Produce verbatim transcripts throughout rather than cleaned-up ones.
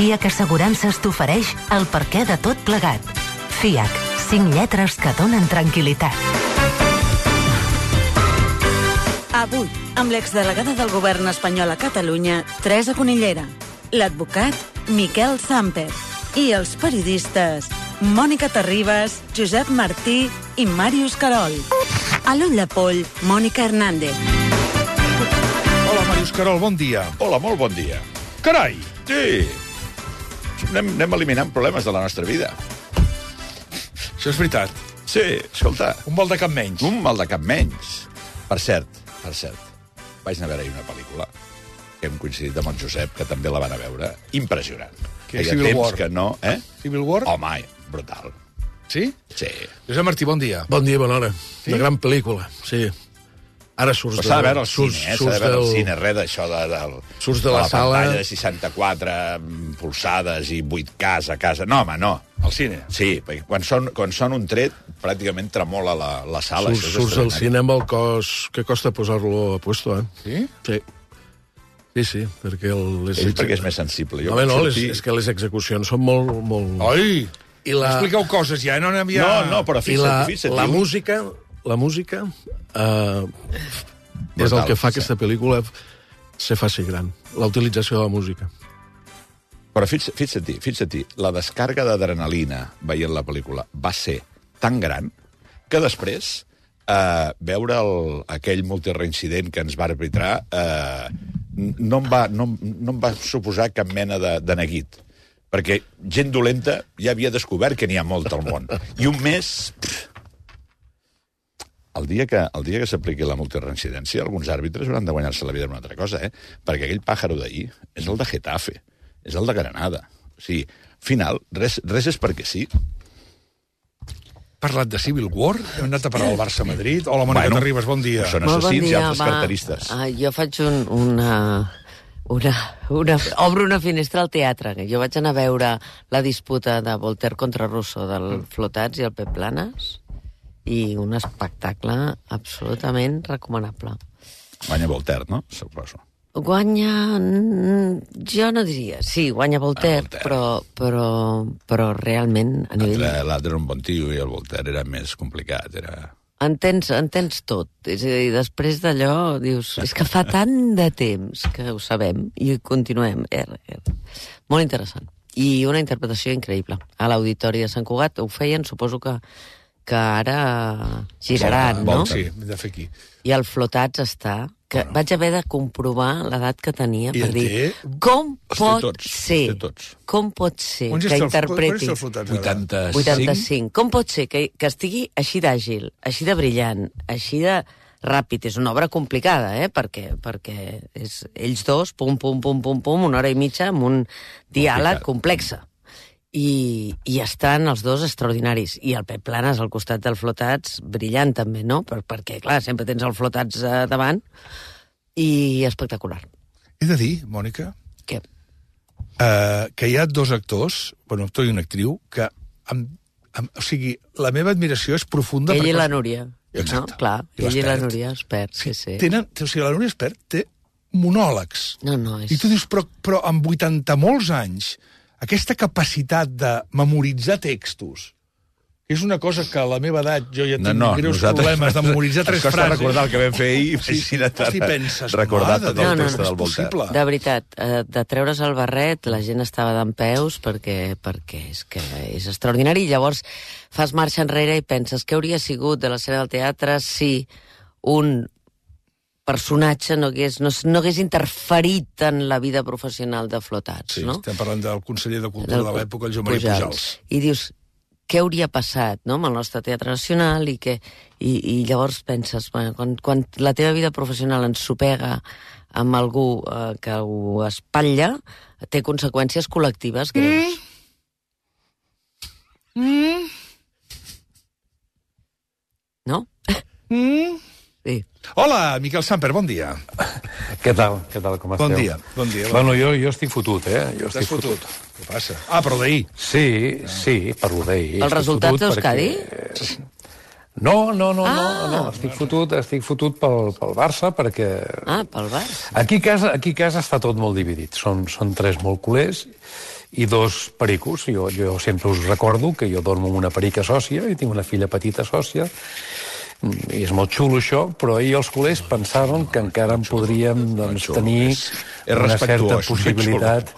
FIAC Assegurances t'ofereix el perquè de tot plegat. FIAC, cinc lletres que donen tranquil·litat. Avui, amb l'exdelegada del govern espanyol a Catalunya, Teresa Conillera, l'advocat Miquel Zamper i els periodistes Mònica Terribas, Josep Martí i Màrius Carol. A l'ull de poll, Mònica Hernández. Hola, Màrius Carol, bon dia. Hola, molt bon dia. Carai! Sí, anem, anem eliminant problemes de la nostra vida. Això és veritat. Sí, escolta. Un mal de cap menys. Un mal de cap menys. Per cert, per cert, vaig anar a veure-hi una pel·lícula que hem coincidit amb el Josep, que també la van a veure. Impressionant. Que Feia Civil temps War. que no, eh? Civil War? Home, brutal. Sí? Sí. Josep Martí, bon dia. Bon dia, bona hora. Sí? Una gran pel·lícula, sí. Ara surts Però de... s'ha de veure al surts, cine, eh? S'ha surts de veure al del- cine, res d'això de, de, Surts de la la sala. pantalla de seixanta-quatre polsades i vuit K a casa. No, home, no. Al cine. Sí, perquè quan són, quan són un tret, pràcticament tremola la, la sala. Surts, Això és surts al extraordinari. cine amb el cos que costa posar-lo a puesto, eh? Sí? Sí. Sí, sí, perquè... El, les Ell perquè és més sensible. Jo Home, no, vaig les, sortir- és que les execucions són molt... molt... Oi! I la, Expliqueu coses ja, no anem ja... No, no, però I fixa't, la, fixa't. la diu- música, la música eh, és el Brutal, que fa sí. que aquesta pel·lícula se faci gran. La utilització de la música. Però fixa't, fixa't, fixa't, la descàrrega d'adrenalina veient la pel·lícula va ser tan gran que després eh, veure el, aquell multireincident que ens va arbitrar eh, no, em va, no, no em va suposar cap mena de, de neguit. Perquè gent dolenta ja havia descobert que n'hi ha molt al món. I un mes... Pff, el dia que, el dia que s'apliqui la multireincidència, alguns àrbitres hauran de guanyar-se la vida en una altra cosa, eh? Perquè aquell pàjaro d'ahir és el de Getafe, és el de Granada. O sigui, al final, res, res és perquè sí. Parlat de Civil War, hem anat a parar al Barça-Madrid. Hola, Mònica Bueno, Terribas, bon dia. Són Molt bon assassins i dia, altres va. carteristes. Ah, jo faig un, una, una, una... Obro una finestra al teatre. que Jo vaig anar a veure la disputa de Voltaire contra Rousseau del Flotats i el Pep Planes i un espectacle absolutament recomanable. Guanya Voltaire, no? Suposo. Guanya... mm, Jo no diria... Sí, guanya Voltaire, Ah, Voltaire. Però, però, però realment a nivell... Entre l'altre era un bon tio i el Voltaire era més complicat. Era... Entens, entens tot. És a dir, després d'allò dius, és que fa tant de temps que ho sabem i continuem. Er, er. Molt interessant. I una interpretació increïble. A l'Auditori de Sant Cugat ho feien, suposo que, que ara giraran, Vol- no? Sí, hem de fer aquí. I el Flotats està... que Bueno. vaig haver de comprovar l'edat que tenia I per en dir, té- com Els té pot tots, ser, els té tots. com pot ser Quants que és el- interpreti... quants és el Flotats, ara? vuitanta-cinc. vuitanta-cinc. Com pot ser que, que estigui així d'àgil, així de brillant, així de ràpid? És una obra complicada, eh? Perquè, perquè és ells dos, pum, pum, pum, pum, pum, una hora i mitja amb un diàleg Complicat. complex. I, I estan els dos extraordinaris. I el Pep Planes al costat del Flotats, brillant també, no? Per, perquè, clar, sempre tens el Flotats eh, davant. I espectacular. He de dir, Mònica, Què? eh, que hi ha dos actors, bueno, actor i una actriu, que, amb, amb, o sigui, la meva admiració és profunda. Ell i perquè- la Núria. Exacte. No? Clar, I ell i la l'Espert. Núria, expert, sí, sí. Tenen, o sigui, la Núria Espert té monòlegs. No, no, és... I tu dius, però, però amb vuitanta molts anys, aquesta capacitat de memoritzar textos, que és una cosa que a la meva edat jo ja tinc No, no, greus nosaltres- problemes de memoritzar tres Ens costa frases. recordar el que vam fer ahir. Sí, Sí, de- hosti, penses, recordar mare tot de el Déu, no, text no, del és Voltaire. possible. De veritat, eh, de treure's el barret, la gent estava d'en peus perquè, perquè és que és extraordinari. I llavors fas marxa enrere i penses què hauria sigut de l'escena del teatre si un personatge no hagués, no, no hagués interferit en la vida professional de Flotats, Sí, no? estem parlant del conseller de Cultura Del- de l'època, el Joan Maria Pujals. I dius, què hauria passat, no?, amb el nostre Teatre Nacional i, que, i, i llavors penses, bueno, quan, quan la teva vida professional ensopega amb algú eh, que ho espatlla, té conseqüències col·lectives greus. Mm. No? Mm. Sí. Hola, Miquel Samper, bon dia. Què tal? Què tal, com esteu? Bon dia, bon dia. Bueno, jo, jo estic fotut, eh? Jo T'has estic fotut? Què passa? Ah, però d'ahir. Sí, sí, parlo d'ahir. Els Estic resultats fotut d'Euskadi? perquè- No, no, no, Ah. no, no, estic fotut, estic fotut pel, pel Barça perquè... Ah, pel Barça. Aquí a casa, aquí a casa està tot molt dividit. Són, són tres molt culers i dos pericos. Jo, jo sempre us recordo que jo dormo amb una perica sòcia i tinc una filla petita sòcia, i és molt xulo això, però ahir els culers pensaven que encara en podríem doncs, tenir una certa possibilitat,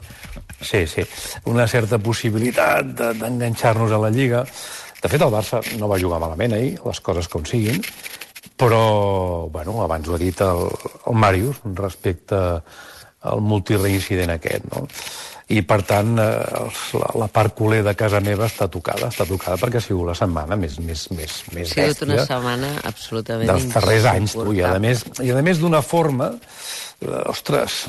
sí, sí, una certa possibilitat de, d'enganxar-nos a la Lliga. De fet, el Barça no va jugar malament ahir, les coses com siguin, però, bueno, abans ho ha dit el, el Màrius respecte al multireincident aquest, no? I, per tant, eh, la, la part culer de casa meva està tocada, està tocada perquè ha sigut la setmana més, més, més, més bèstia. Ha sigut una setmana absolutament dels darrers anys, tu, i a més, i a més d'una forma, eh, ostres,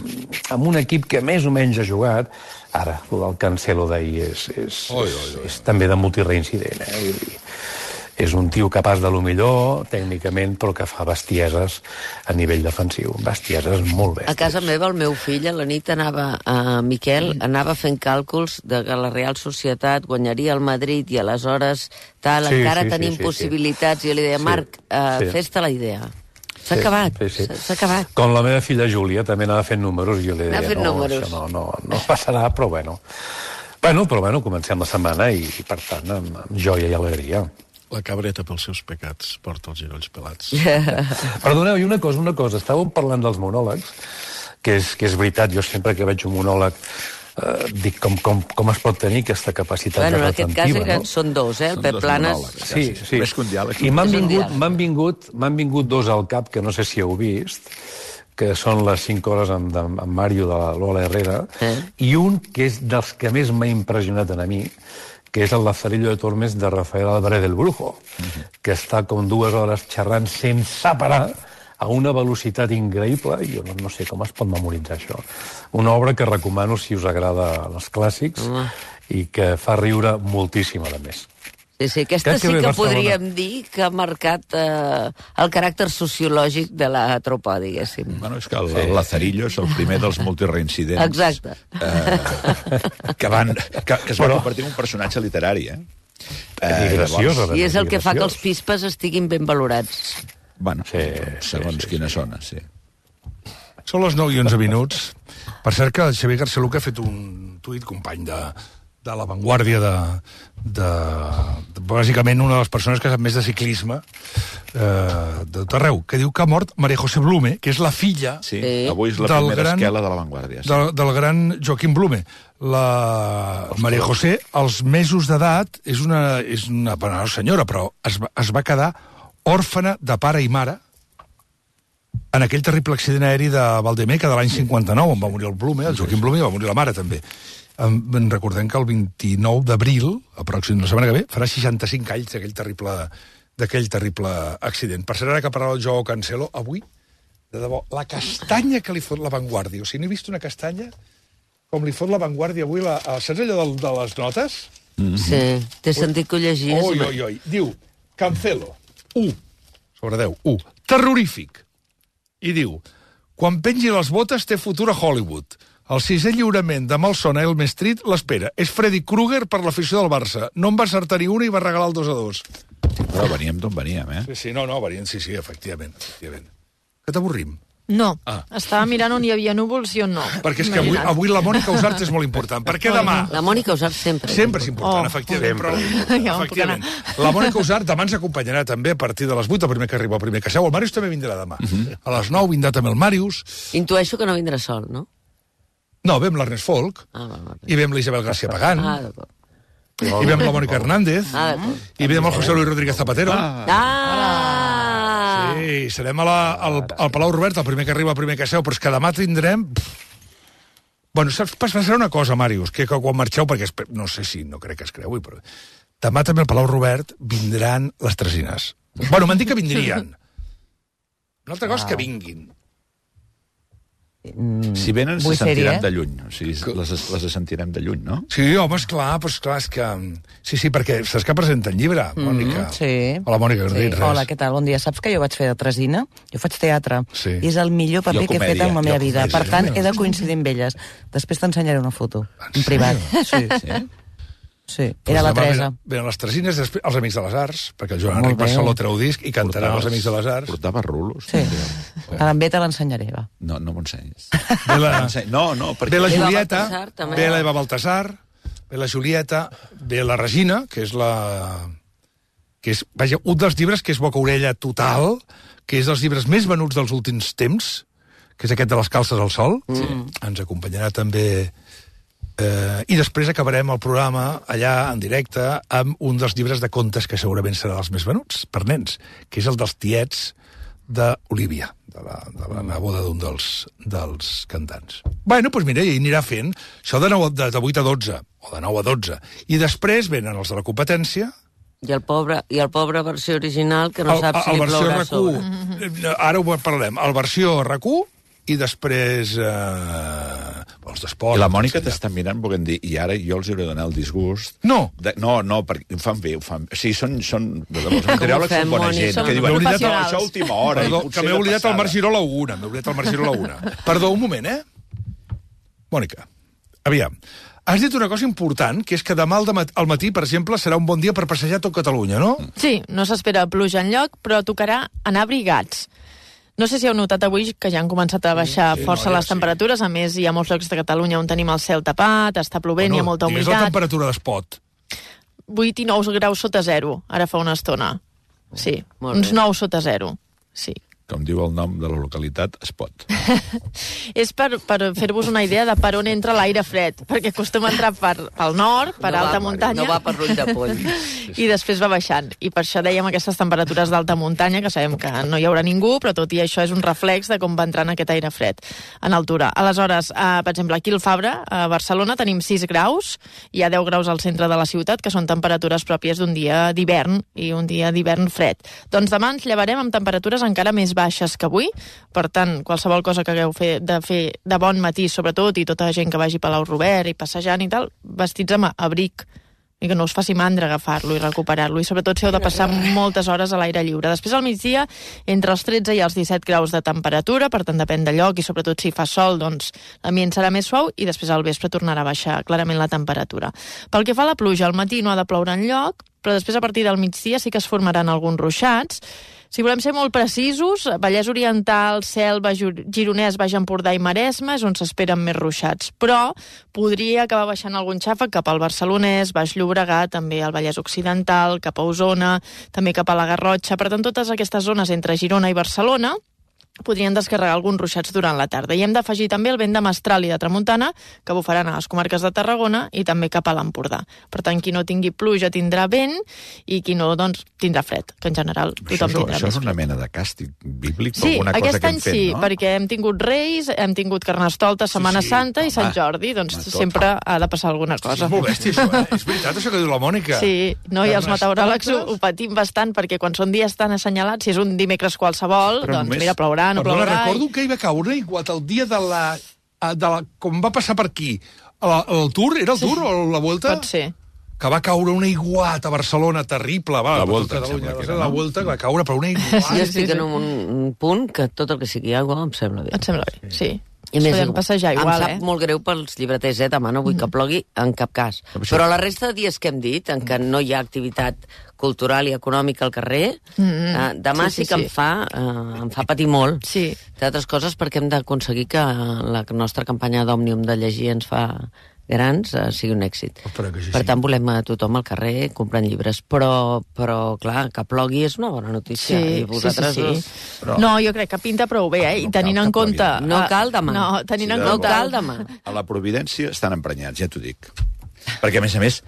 amb un equip que més o menys ha jugat, ara, el Cancelo d'ahir és, és, oi, oi, oi. és, és també de multireincident, eh? Vull dir, és un tio capaç de lo millor, tècnicament, però que fa bestieses a nivell defensiu. Bestieses molt bèsties. A casa meva, el meu fill, a la nit anava, a Miquel, anava fent càlculs de que la Real Societat guanyaria el Madrid i aleshores tal, sí, encara sí, tenim sí, sí, possibilitats. I jo li deia, sí, Marc, uh, sí. fes-te la idea. S'ha sí, acabat, sí, sí. s'ha acabat. Com la meva filla Júlia, també anava fent números, i jo li deia, no, números. això no, no, no passarà, però bueno. Bueno, però bueno, comencem la setmana i, per tant, amb, amb joia i alegria. La cabreta pels seus pecats porta els girolls pelats. Perdoneu, i una cosa, una cosa. Estàvem parlant dels monòlegs, que és, que és veritat, jo sempre que veig un monòleg eh, dic com, com, com es pot tenir aquesta capacitat bueno, de retentiva. En aquest cas no? Són dos, eh? El Pep Planes... Sí, sí. Més que un diàleg. I m'han vingut, m'han vingut, m'han vingut dos al cap, que no sé si heu vist, que són les cinc hores amb, amb, amb Mario de la Lola Herrera, eh? I un que és dels que més m'ha impressionat a mi, que és el Lazarillo de Tormes de Rafael Álvarez del Brujo, uh-huh. que està com dues hores xerrant sense parar a una velocitat increïble, i jo no, no sé com es pot memoritzar això. Una obra que recomano si us agrada els clàssics uh-huh. i que fa riure moltíssim, a més. Sí, sí, aquesta sí que podríem dir que ha marcat eh, el caràcter sociològic de la tropa, diguéssim. Bueno, és que el, el Lazarillo és el primer dels multireincidents. Exacte. Eh, que, van, que, que es va convertir en un personatge literari, eh? eh graciós, llavors, I és el que fa que els pispes estiguin ben valorats. Bueno, sí, segons sí, sí, quina sí. zona, sí. Són les nou i onze minuts. Per cert que el Xavier Garceluca ha fet un tuit, company de... de La Vanguardia, de, de, de, bàsicament una de les persones que sap més de ciclisme eh, de tot arreu, que diu que ha mort María José Blume, que és la filla sí, avui és la primera gran, esquela de La Vanguardia. Sí. Del, del gran Joaquim Blume. La María José, als mesos d'edat, és una, és una, una senyora, però es, es va quedar òrfana de pare i mare en aquell terrible accident aeri de Valdemeca de l'any cinquanta-nou, on va morir el Blume, el Joaquim Blume, i va morir la mare també. En recordem que el vint-i-nou d'abril, pròxim la setmana que ve, farà seixanta-cinc anys d'aquell terrible, d'aquell terrible accident. Per cert, ara que parlava el Joao Cancelo, avui, de debò, la castanya que li fot La Vanguardia. O sigui, no he vist una castanya com li fot La Vanguardia avui. La, saps allò de, de les notes? Mm-hmm. Sí, t'he sentit que ho llegies. Oi, oi, oi. Diu, Cancelo, u, sobre deu, u, terrorífic. I diu, quan pengi les botes té futur a Hollywood. El sisè lliurament de Malson a Elm Street l'espera. És Freddy Krueger per l'afició del Barça. No en va acertar ni una i va regalar el dos a dos. Però veníem d'on veníem, eh? Sí, sí, no, no, veníem, sí, sí, efectivament. efectivament. Que t'avorrim? No, ah. Estava mirant on hi havia núvols i on no. Perquè és que avui, avui la Mònica Usart és molt important. Perquè demà... La Mònica Usart sempre. Sempre és important, oh, efectivament. Però, ja efectivament. La Mònica Usart demà ens acompanyarà també a partir de les vuit, el primer que arriba, el primer que seu. El Màrius també vindrà demà. Uh -huh. A les nou vindrà també el Màrius. Intueixo que no vindrà sol, no? No, vem l'Ernest Folk, ah, va, va, i vem l'Isabel García Pagán, ah, i vem la Mònica Hernández, ah, i vem el José Luis Rodríguez Zapatero. Ah! ah. Sí, serem a la, al, al Palau Robert, el primer que arriba, el primer que seu, però és que demà tindrem... Bueno, saps, passarà una cosa, Màrius, que, que quan marxeu, perquè es, no sé si, no crec que es creu, però demà també al Palau Robert vindran les Tresines. Bueno, m'han dit que vindrien. Una altra cosa és que vinguin. Si venen, se sentirem de lluny. O sigui, les, les sentirem de lluny, no? Sí, home, esclar, però esclar, és que... Sí, sí, perquè saps que presenta el llibre, Mònica? Mm, sí. Hola, Mònica, no sí. dit res. Hola, què tal? Bon dia. Saps que jo vaig fer de Tresina? Jo faig teatre. Sí. I és el millor paper que he fet en la meva vida. comèdia, per tant, comèdia. he de coincidir amb elles. Després t'ensenyaré una foto, en privat. Sí, Sí? sí. Era la Teresa. Venen, venen les Tresines, després els Amics de les Arts, perquè el Joan Enric Barceló treu disc i cantarà els Amics de les Arts. Portava rulos. Sí. També te l'ensenyaré, va. No, no m'ho ensenyis. Ve la, No, no, perquè... ve la Eva Julieta, Baltasar, també. ve l'Eva Baltasar, ve la Julieta, ve la Regina, que és la... que és, vaja, un dels llibres que és boca orella total, que és dels llibres més venuts dels últims temps, que és aquest de les calces al sol. Sí. Ens acompanyarà també... Eh, I després acabarem el programa allà en directe amb un dels llibres de contes que segurament serà dels més venuts per nens, que és el dels tiets d'Olívia, de la, de la neboda d'un dels, dels cantants. Bueno, doncs mira, i anirà fent això de, nou, de, de vuit a dotze, o de nou a dotze. I després venen els de la competència. I el pobre, i el pobre versió original, que no el, sap si li plourà sobre. Ara ho parlarem. El versió R Q i després eh, els d'esport. I la Mònica t'està mirant, volent dir, i ara jo els hauré de donar el disgust. No. De, no, no, perquè ho fan bé, ho fan bé. O sigui, són, són, els materials són bona gent. Som que diuen, professionals. no, això a última hora. Perdó, que m'he oblidat el Marc Giró a la una. M'he oblidat el Marc Giró a la una. Perdó, un moment, eh? Mònica, aviam. Has dit una cosa important, que és que demà al, al matí, per exemple, serà un bon dia per passejar tot Catalunya, no? Sí, no s'espera pluja enlloc, però tocarà anar abrigats. No sé si heu notat avui que ja han començat a baixar sí, força no, ja les temperatures. Sí. A més, hi ha molts llocs de Catalunya on tenim el cel tapat, està plovent, bueno, hi ha molta humitat. Digues la temperatura d'Espot. vuit i nou graus sota zero, ara fa una estona. Sí, uns nou sota zero, sí. Com diu el nom de la localitat, Espot. És per, per fer-vos una idea de per on entra l'aire fred, perquè acostuma a entrar per, pel nord, per no alta va, muntanya... No va per l'ull de poll. I després va baixant. I per això dèiem aquestes temperatures d'alta muntanya, que sabem que no hi haurà ningú, però tot i això és un reflex de com va entrant aquest aire fred en altura. Aleshores, eh, per exemple, aquí al Fabra, a Barcelona, tenim sis graus, hi ha deu graus al centre de la ciutat, que són temperatures pròpies d'un dia d'hivern, i un dia d'hivern fred. Doncs demà ens llevarem amb temperatures encara més baixes que avui, per tant, qualsevol cosa que hagueu fer, de fer de bon matí, sobretot, i tota la gent que vagi a Palau Robert i passejant i tal, vestits amb abric, i que no us faci mandra agafar-lo i recuperar-lo, i sobretot si heu de passar moltes hores a l'aire lliure. Després, al migdia, entre els tretze i els disset graus de temperatura, per tant, depèn del lloc, i sobretot si fa sol, doncs l'ambient serà més suau, i després al vespre tornarà a baixar clarament la temperatura. Pel que fa a la pluja, al matí no ha de ploure enlloc, però després, a partir del migdia, sí que es formaran alguns ruixats. Si volem ser molt precisos, Vallès Oriental, Selva, Gironès, Baix Empordà i Maresme és on s'esperen més ruixats, però podria acabar baixant algun xàfec cap al Barcelonès, Baix Llobregat, també al Vallès Occidental, cap a Osona, també cap a la Garrotxa. Per tant, totes aquestes zones entre Girona i Barcelona podrien descarregar alguns ruixats durant la tarda. I hem d'afegir també el vent de mestral i de tramuntana, que bufaran a les comarques de Tarragona i també cap a l'Empordà. Per tant, qui no tingui pluja tindrà vent i qui no, doncs, tindrà fred, que en general tothom això, més tindrà Això és fred. Una mena de càstig bíblic per sí, alguna cosa que hem fet, sí, no? perquè hem tingut Reis, hem tingut Carnestoltes, Setmana sí, sí, Santa i home, Sant Jordi, doncs home, sempre ha de passar alguna cosa. És molt bèstia, això, eh? És veritat, això que diu la Mònica. Sí, no, i els meteoròlegs ho, ho patim bastant, perquè quan són dies tan assenyalats, si és un dimecres qualsevol, Però doncs només... mira, plourà, no Perdona, plourà... recordo que hi va caure igual el dia de la... De la com va passar per aquí? El, el Tour? Era el Tour sí. o la Vuelta? Pot ser. Que va caure una iguat a Barcelona terrible. Va, la Vuelta, Catalunya, que era, la no? Vuelta que va caure per una iguat. Jo estic en un, un punt que tot el que sigui aigua em sembla bé. Et sembla bé, sí. I més, podem passejar igual, em sap eh? molt greu pels llibreters, eh? Demà no vull que plogui en cap cas. Però la resta de dies que hem dit, en què no hi ha activitat cultural i econòmica al carrer, mm -hmm. eh, demà sí, sí, sí que sí. Em, fa, eh, em fa patir molt. Sí. D'altres coses perquè hem d'aconseguir que la nostra campanya d'Òmnium de llegir ens fa grans eh, sigui un èxit. Sí, per sí. tant, volem a tothom al carrer comprant llibres. Però, però clar, que plogui és una bona notícia. Sí, I vosaltres sí, sí, sí. Us... Però... No, jo crec que pinta prou bé, eh? I No tenint cal en que compte... plogui. No cal demà. No, tenint Sí, en de compte... No cal demà. A la Providència estan emprenyats, ja t'ho dic. Perquè, a més a més,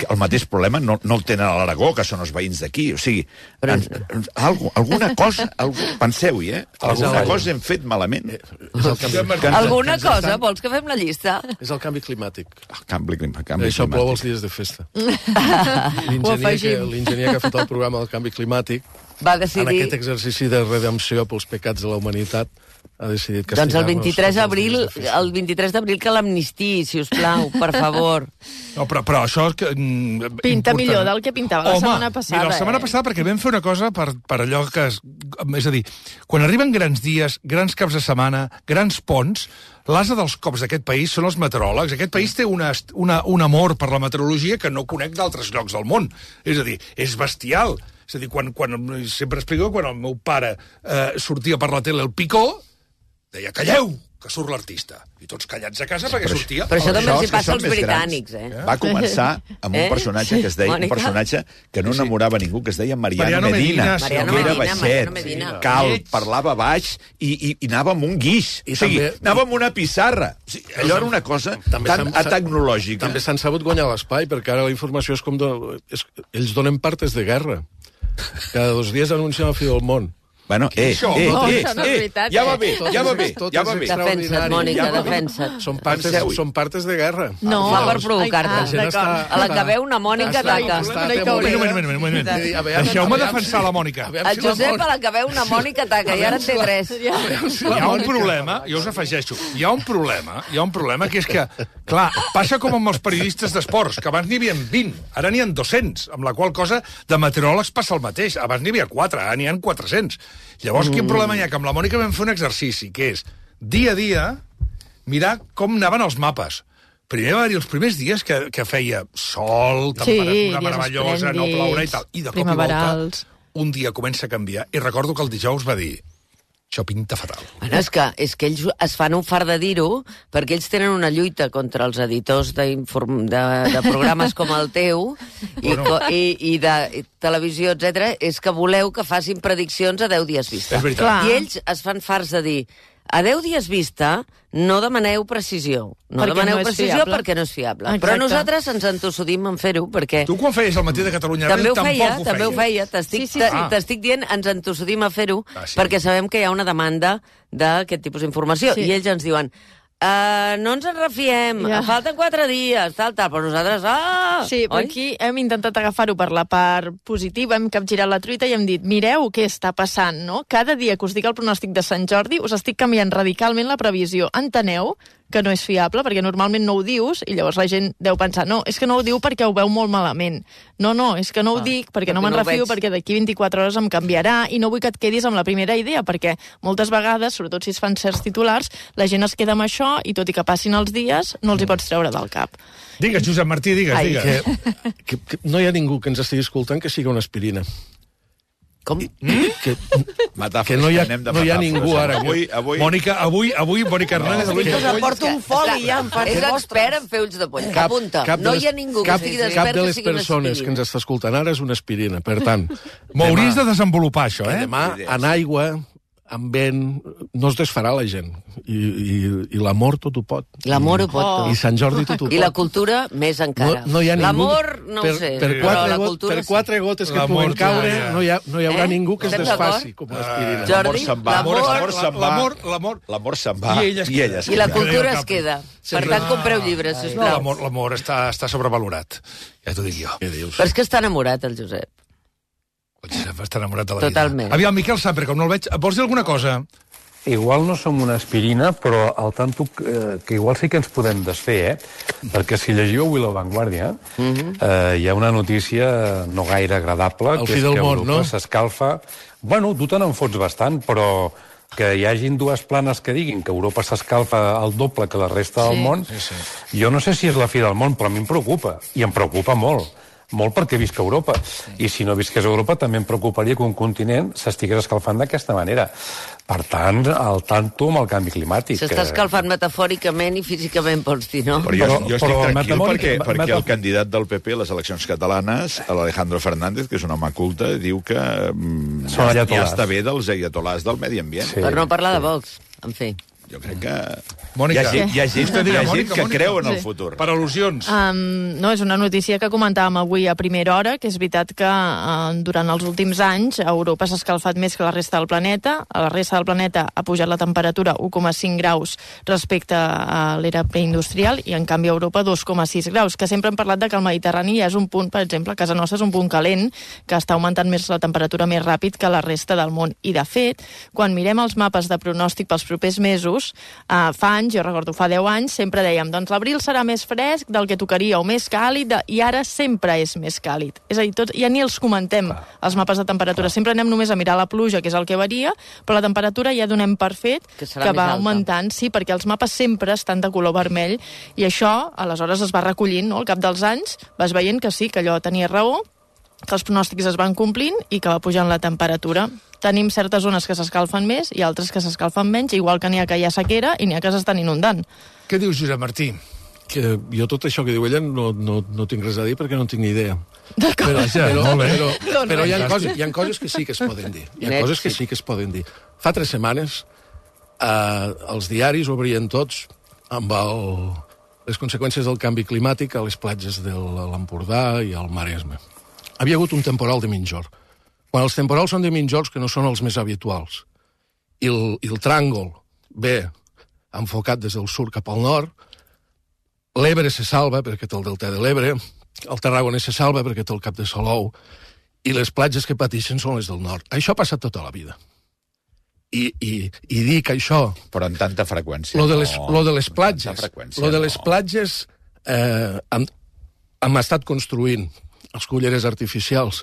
el mateix problema no, no el tenen a l'Aragó, que són els veïns d'aquí. O sigui, Però... en, en, algo, alguna cosa... Algú, penseu-hi, eh? Alguna el... cosa hem fet malament. És el canvi, Que ens- Alguna que ens cosa? estan- Vols que fem la llista? és el canvi climàtic. El canvi, clim- canvi Això plou els climàtic. dies de festa. Ho L'enginyer que, afegim. l'enginyer que ha fet el programa del canvi climàtic, Va en decidir... aquest exercici de redempció pels pecats de la humanitat, ha decidit castigar-nos. Doncs el vint-i-tres tots els d'abril, dies de festa. el vint-i-tres d'abril que l'amnistii, si us plau, per favor. No, però, però això... és Que, mm, Pinta important. millor del que pintava la Home, setmana passada. Mira, la setmana eh? passada perquè vam fer una cosa per, per allò que... Es, és a dir, quan arriben grans dies, grans caps de setmana, grans ponts, l'asa dels cops d'aquest país són els meteoròlegs. Aquest país té una, una, un amor per la meteorologia que no conec d'altres llocs del món. És a dir, és bestial. És a dir, quan, quan sempre explico, quan el meu pare eh, sortia per la tele el Picó, deia, calleu, que surt l'artista. I tots callats a casa perquè Però- sortia... Però això el- també els hi és que passa són als més britànics, grans. eh? Va començar amb un Eh? personatge que es deia, un Mònica? personatge que no enamorava ningú, que es deia Mariano, Mariano Medina, Medina, sí, Mariano que era Medina, baixet, Mariano Medina. calb, parlava baix i, i, i anava amb un guix. I o sigui, també- anava amb una pissarra. O sigui, allò era una cosa També tan s'han- tecnològica. També s'han sabut guanyar l'espai, perquè ara la informació és com... De, és, ells donen partes de guerra. Cada dos dies anuncien el fi del món. Bueno, eh, Això? eh, No, eh, això no és eh, veritat, ja va eh? bé, Tot ja va és- bé, tot ja és va bé. Defensa't, extraordinari. Mònica, Ja va bé. defensa't. Són partes, Penseu-hi. són partes de guerra. No. Fa per provocar-te. Ah, La gent està- A la que veu una Mònica Està- ataca. està No hi atemorit. cauré. Un moment, un moment, un moment. Sí, a veure, Deixeu-me a veure defensar si- la Mònica. a veure El si la Josep, Mònica- a la que veu una Mònica ataca, i ara en té tres. Hi ha un problema, jo us afegeixo, hi ha un problema, hi ha un problema que és que, clar, passa com amb els periodistes d'esports, que abans n'hi havia vint, ara n'hi ha dos-cents, amb la qual cosa de meteoròlegs passa el mateix. Abans n'hi havia quatre, ara n'hi ha quatre-cents. Llavors, quin problema hi ha? Que amb la Mònica vam fer un exercici, que és, dia a dia, mirar com anaven els mapes. Primer va haver-hi els primers dies que, que feia sol, temperatura dies meravellosa, no esplèndids, plourà i tal. I de cop i volta, primaverals. un dia comença a canviar. I recordo que el dijous va dir, això pinta fatal. Bueno, és que, és que ells es fan un fart de dir-ho perquè ells tenen una lluita contra els editors d'inform- de, de programes com el teu i, Bueno. co- i, i de i televisió, etcètera. És que voleu que facin prediccions a deu dies vista. És veritat. Clar. I ells es fan farts de dir a deu dies vista no demaneu precisió. No Perquè demaneu no és precisió fiable. perquè no és fiable. Exacte. Però nosaltres ens entossudim en fer-ho perquè... Tu quan feies el matí de Catalunya També ho Ràdio, feia, tampoc ho també ho feies. feia. T'estic Sí, sí, sí, sí. sí. t'estic dient, ens entossudim a fer-ho, Ah, sí. perquè sabem que hi ha una demanda d'aquest tipus d'informació. Sí. I ells ens diuen, uh, no ens en refiem, Ja. falten quatre dies, tal, tal, però nosaltres, ah! Sí, però oi? aquí hem intentat agafar-ho per la part positiva, hem capgirat la truita i hem dit, mireu què està passant, no? Cada dia que us dic el pronòstic de Sant Jordi us estic canviant radicalment la previsió. Enteneu que no és fiable, perquè normalment no ho dius, i llavors la gent deu pensar, no, és que no ho diu perquè ho veu molt malament. No, no, és que no ho Ah, dic perquè no perquè me'n no ho refio, veig. perquè d'aquí vint-i-quatre hores em canviarà, i no vull que et quedis amb la primera idea, perquè moltes vegades, sobretot si es fan certs titulars, la gent es queda amb això, i tot i que passin els dies, no els hi pots treure del cap. Digues, Josep Martí, digues, Ai, digues. Que, que, que no hi ha ningú que ens estigui escoltant que sigui una aspirina. Com? Que, Metàfores, que no hi ha, anem de no hi ha metàfores. ningú ara. Avui, avui... Mònica, avui, avui, Mònica Hernández... avui, Us aporto un foli ja, em fa És expert en fer ulls de poll. Apunta, no de les- hi ha ningú que cap, estigui cap despert de que les sigui una persones que aspirina. ens està escoltant ara és una aspirina. Per tant, M'hauries demà- de desenvolupar això, que eh? demà, en aigua, en vent, no es desfarà la gent. I, i, i l'amor tot ho pot. L'amor ho pot Oh. tot. I Sant Jordi tot ho pot. I la cultura, més encara. No, no hi ha ningú... L'amor, no per, ho sé, per però quatre, la got- cultura per sí. quatre gotes que L'amor puguen caure, ja. no hi, ha, no hi haurà Eh? ningú que es Estem desfaci d'acord? com l'aspirina. Jordi, L'amor se'n va. l'amor- L'amor se'n va. L'amor, l'amor... L'amor se'n va. I ella es I queda. ella es I la queda. cultura Cap. es queda. Sí, Per clar. tant, compreu llibres, No, sisplau. l'amor, l'amor està, està sobrevalorat. Ja t'ho dic jo. Què dius? Però és que està enamorat, el Josep. El Josep està enamorat de la Totalment. vida. Aviam, Miquel Samper, com no el veig, vols dir alguna cosa? Igual no som una aspirina, però al tanto que, que igual sí que ens podem desfer, eh? Perquè si llegiu avui La Vanguardia, eh, hi ha una notícia no gaire agradable, El que fi és del que món, Europa no? s'escalfa... Bueno, tu te n'enfots bastant, però que hi hagin dues planes que diguin que Europa s'escalfa al doble que la resta del món, Sí, sí. jo no sé si és la fi del món, però a mi em preocupa, i em preocupa molt. Molt perquè visc a Europa. I si no visqués a Europa, també em preocuparia que un continent s'estigués escalfant d'aquesta manera. Per tant, al tanto amb el canvi climàtic. S'està escalfant metafòricament i físicament, pots dir, no? Però jo, Però- jo estic però tranquil metamòric- perquè, me- perquè meta- el candidat del P P a les eleccions catalanes, l'Alejandro Fernández, que és un home culte, diu que mm, Són ja, ja ayatolás. està bé dels ayatolás del medi ambient. Sí. Per no parlar de Vox, en fi. Jo crec que... Mònica. Hi ha gent, hi ha gent, hi ha gent Mònica, que Mònica. creu en el Sí. futur. Per al·lusions. Um, no, és una notícia que comentàvem avui a primera hora, que és veritat que uh, durant els últims anys Europa s'ha escalfat més que la resta del planeta. A la resta del planeta ha pujat la temperatura un coma cinc graus respecte a l'era preindustrial i en canvi a Europa dos coma sis graus, que sempre hem parlat de que el Mediterrani ja és un punt, per exemple, a casa nostra és un punt calent, que està augmentant més la temperatura més ràpid que la resta del món. I de fet, quan mirem els mapes de pronòstic pels propers mesos, uh, fa anys, jo recordo fa deu anys, sempre dèiem, doncs l'abril serà més fresc del que tocaria, o més càlid, de... i ara sempre és més càlid. És a dir, tot, ja ni els comentem, els mapes de temperatura. Sempre anem només a mirar la pluja, que és el que varia, però la temperatura ja donem per fet Que que, serà més va alta. augmentant, sí, perquè els mapes sempre estan de color vermell, i això, aleshores, es va recollint, no? Al cap dels anys vas veient que sí, que allò tenia raó, que els pronòstics es van complint i que va pujant la temperatura. Tenim certes zones que s'escalfen més i altres que s'escalfen menys, igual que n'hi ha que hi ha sequera i n'hi ha que s'estan inundant. Què dius, Josep Martí? Que jo tot això que diu ella no, no, no tinc res a dir perquè no tinc ni idea. D'acord. Però, Ja, però, molt bé. però, Doncs però hi, ha res. coses, hi ha coses que sí que es poden dir. Hi ha Net, coses que sí. sí que es poden dir. Fa tres setmanes eh, els diaris obrien tots amb el, les conseqüències del canvi climàtic a les platges de l'Empordà i al Maresme. Havia hagut un temporal de migjorn. Quan els temporals són de migjorns, que no són els més habituals, i el, i el tràngol ve enfocat des del sud cap al nord, l'Ebre se salva perquè té el delta de l'Ebre, el Tarragona se salva perquè té el Cap de Salou, i les platges que pateixen són les del nord. Això ha passat tota la vida. I, i, i dir que això... Però en tanta freqüència. Lo de les, no. lo de les En platges, tanta freqüència, lo de les no. platges eh, hem, hem estat construint els culleres artificials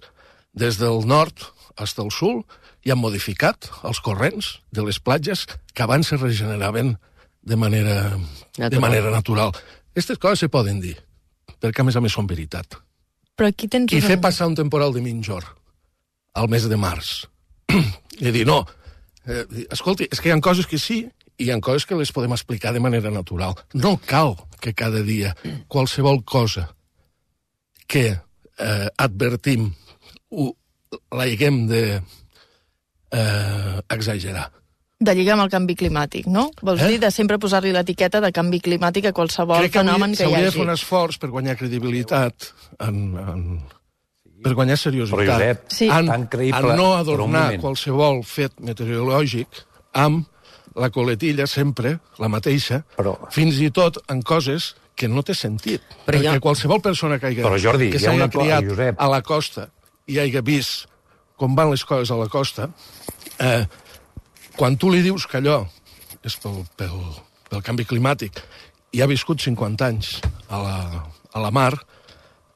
des del nord fins al sud i han modificat els corrents de les platges que abans se regeneraven de manera natural. De manera natural. Aquestes coses se poden dir, perquè a més a més són veritat. Però aquí tens... I un- fer passar un temporal de migjorn al mes de març. I dir, no, eh, escolti, és que hi ha coses que sí i hi ha coses que les podem explicar de manera natural. No cal que cada dia qualsevol cosa que eh, advertim ho, la haguem de eh, exagerar. De lligar amb el canvi climàtic, no? Vols Eh? dir de sempre posar-li l'etiqueta de canvi climàtic a qualsevol Crec que fenomen que hi s'hauria de hagi. fer un esforç per guanyar credibilitat en, en, per guanyar seriositat. Però, Josep, Sí. en, tan creïble, en no per un adornar moment. qualsevol fet meteorològic amb la coletilla sempre, la mateixa, Però- fins i tot en coses que no té sentit. Però Perquè jo- qualsevol persona que, hagi, Però, Jordi, que hi ha s'hagi una co- criat Josep. a la costa i hagi vist com van les coses a la costa, eh, quan tu li dius que allò és pel, pel, pel canvi climàtic i ha viscut cinquanta anys a la, a la mar,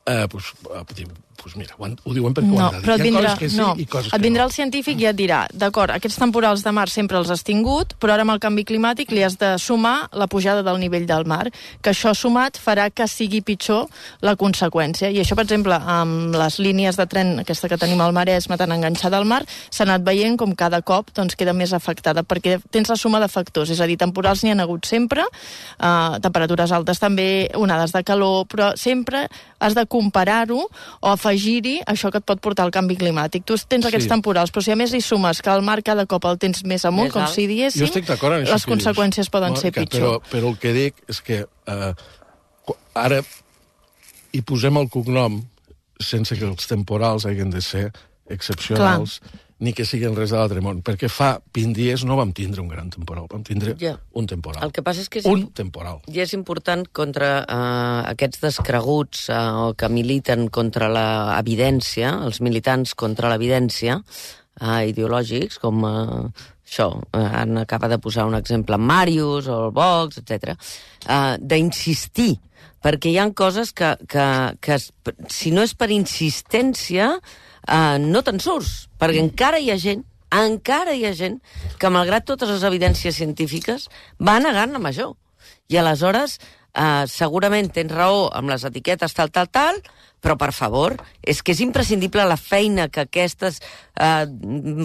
eh, pues, eh, diu, pues mira, ho, han- ho diuen perquè ho No, han de dir. però et Hi ha vindrà, coses que sí no, i coses et que vindrà no. el científic i et dirà, d'acord, aquests temporals de mar sempre els has tingut, però ara amb el canvi climàtic li has de sumar la pujada del nivell del mar, que això sumat farà que sigui pitjor la conseqüència. I això, per exemple, amb les línies de tren, aquesta que tenim al Maresme tan enganxada al mar, s'ha anat veient com cada cop doncs, queda més afectada, perquè tens la suma de factors, és a dir, temporals n'hi han hagut sempre, eh, temperatures altes també, onades de calor, però sempre has de comparar-ho o afegir-hi això que et pot portar el canvi climàtic. Tu tens aquests Sí. temporals, però si a més hi sumes que el mar cada cop el tens més amunt, Més com alt. si diéssim, Jo estic d'acord en això les que dius, conseqüències poden ser Mònica, pitjor. Però, però el que dic és que eh, qu- ara hi posem el cognom sense que els temporals hagin de ser excepcionals, Clar. ni que siguin res de l'altre món, perquè fa vint dies no vam tindre un gran temporal, vam tindre Ja. un temporal. El que passa és que és, Un temporal. i és important contra eh, aquests descreguts eh, o que militen contra la evidència, els militants contra l'evidència eh, ideològics, com eh, això, eh, han acaba de posar un exemple, Màrius o el Vox, etcètera, eh, d'insistir, perquè hi ha coses que, que, que es, si no és per insistència, eh, no te'n surts, perquè encara hi ha gent, encara hi ha gent que, malgrat totes les evidències científiques, va negant amb això. I aleshores, eh, segurament tens raó amb les etiquetes tal, tal, tal, però, per favor, és que és imprescindible la feina que aquestes eh,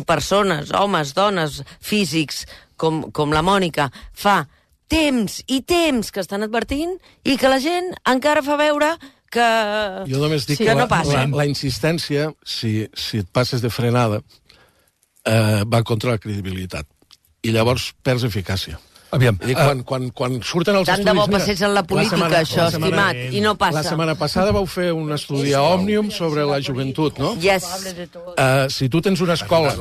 persones, homes, dones, físics, com, com la Mònica, fa temps i temps que estan advertint i que la gent encara fa veure que, Jo només dic sí, que que no la, passa. la, la insistència, si, si et passes de frenada, eh, va contra la credibilitat. I llavors perds eficàcia. Aviam, I dic, eh, quan, quan, quan surten els Tant de estudis... bo mira, passés en la política, setmana- això, la setmana- estimat, i no passa. La setmana passada vau fer un estudi a Òmnium sobre la joventut, no? Yes. Uh, si tu tens una escola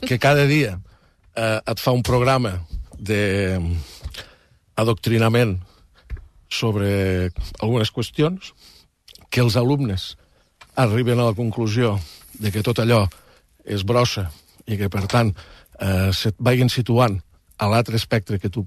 que cada dia uh, et fa un programa de adoctrinament sobre algunes qüestions, que els alumnes arriben a la conclusió de que tot allò és brossa i que, per tant, eh, se't vagin situant a l'altre espectre que tu,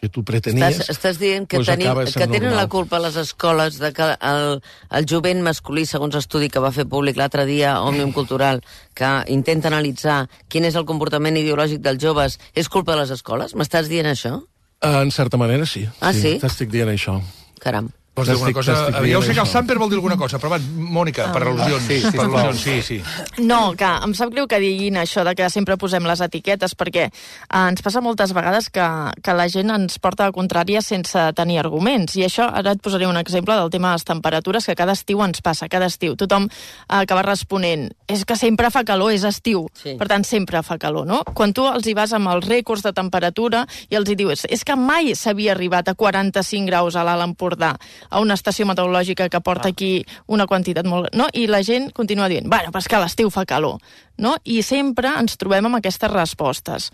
que tu pretenies... Estàs, estàs dient que, doncs tenim, acaba que sent tenen normal. la culpa les escoles de que el, el jovent masculí, segons estudi que va fer públic l'altre dia Òmnium Cultural, que intenta analitzar quin és el comportament ideològic dels joves, és culpa de les escoles? M'estàs dient això? Eh, en certa manera, sí. Ah, sí? T'estic dient això. Caram. Vols dir alguna cosa? Ja ho sé que el Samper vol dir alguna cosa, però va, Mònica, per al·lusions. Sí, sí, per al·lusions, sí, sí. No, que em sap greu que diguin això de que sempre posem les etiquetes, perquè eh, ens passa moltes vegades que, que la gent ens porta a contrària sense tenir arguments. I això, ara et posaré un exemple del tema de les temperatures, que cada estiu ens passa, cada estiu. Tothom eh, acaba responent, és que sempre fa calor, és estiu. Sí. Per tant, sempre fa calor, no? Quan tu els hi vas amb els rècords de temperatura i els hi dius, és que mai s'havia arribat a quaranta-cinc graus a l'Alt Empordà, a una estació meteorològica que porta aquí una quantitat molt... No? I la gent continua dient, bueno, però és que a l'estiu fa calor. No? I sempre ens trobem amb aquestes respostes.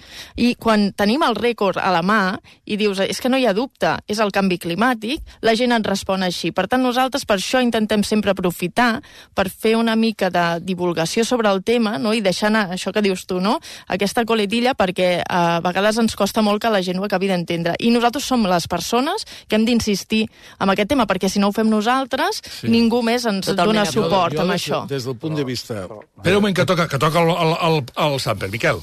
I quan tenim el rècord a la mà i dius, és que no hi ha dubte, és el canvi climàtic, la gent ens respon així. Per tant, nosaltres per això intentem sempre aprofitar per fer una mica de divulgació sobre el tema, no? I deixar anar això que dius tu, no? Aquesta coletilla, perquè a vegades ens costa molt que la gent ho acabi d'entendre. I nosaltres som les persones que hem d'insistir en aquest tema, perquè si no ho fem nosaltres, sí. Ningú més ens Totalment dona suport jo, jo amb des, això. Des del punt de vista... Espera un moment, que toca, que toca el, el, el, el Samper. Miquel.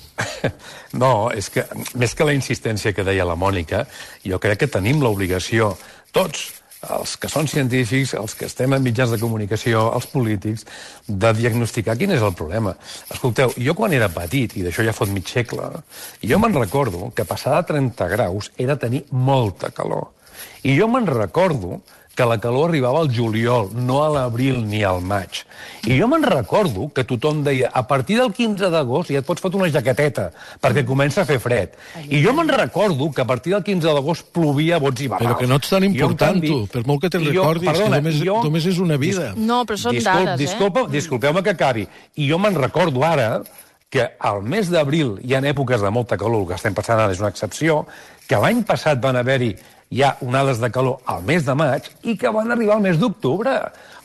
No, és que, més que la insistència que deia la Mònica, jo crec que tenim l'obligació, tots, els que són científics, els que estem en mitjans de comunicació, els polítics, de diagnosticar quin és el problema. Escolteu, jo quan era petit, i d'això ja fot mig segle, jo me'n recordo que passar de trenta graus era tenir molta calor. I jo me'n recordo que la calor arribava al juliol, no a l'abril ni al maig. I jo me'n recordo que tothom deia a partir del quinze d'agost ja et pots fotre una jaqueteta, perquè comença a fer fred. I jo me'n recordo que a partir del quinze d'agost plovia a bots i barrals. Però que no ets tan important, tu, per molt que te'n recordis, perdona, que només, jo, només és una vida. No, però són disculp, dades, disculpa, eh? Disculpeu-me que acabi. I jo me'n recordo ara que al mes d'abril hi ha èpoques de molta calor, el que estem passant ara és una excepció, que l'any passat van haver-hi ja onades de calor al mes de maig i que van arribar al mes d'octubre.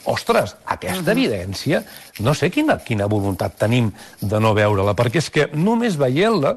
Ostres, aquesta evidència, no sé quina, quina voluntat tenim de no veure-la, perquè és que només veient-la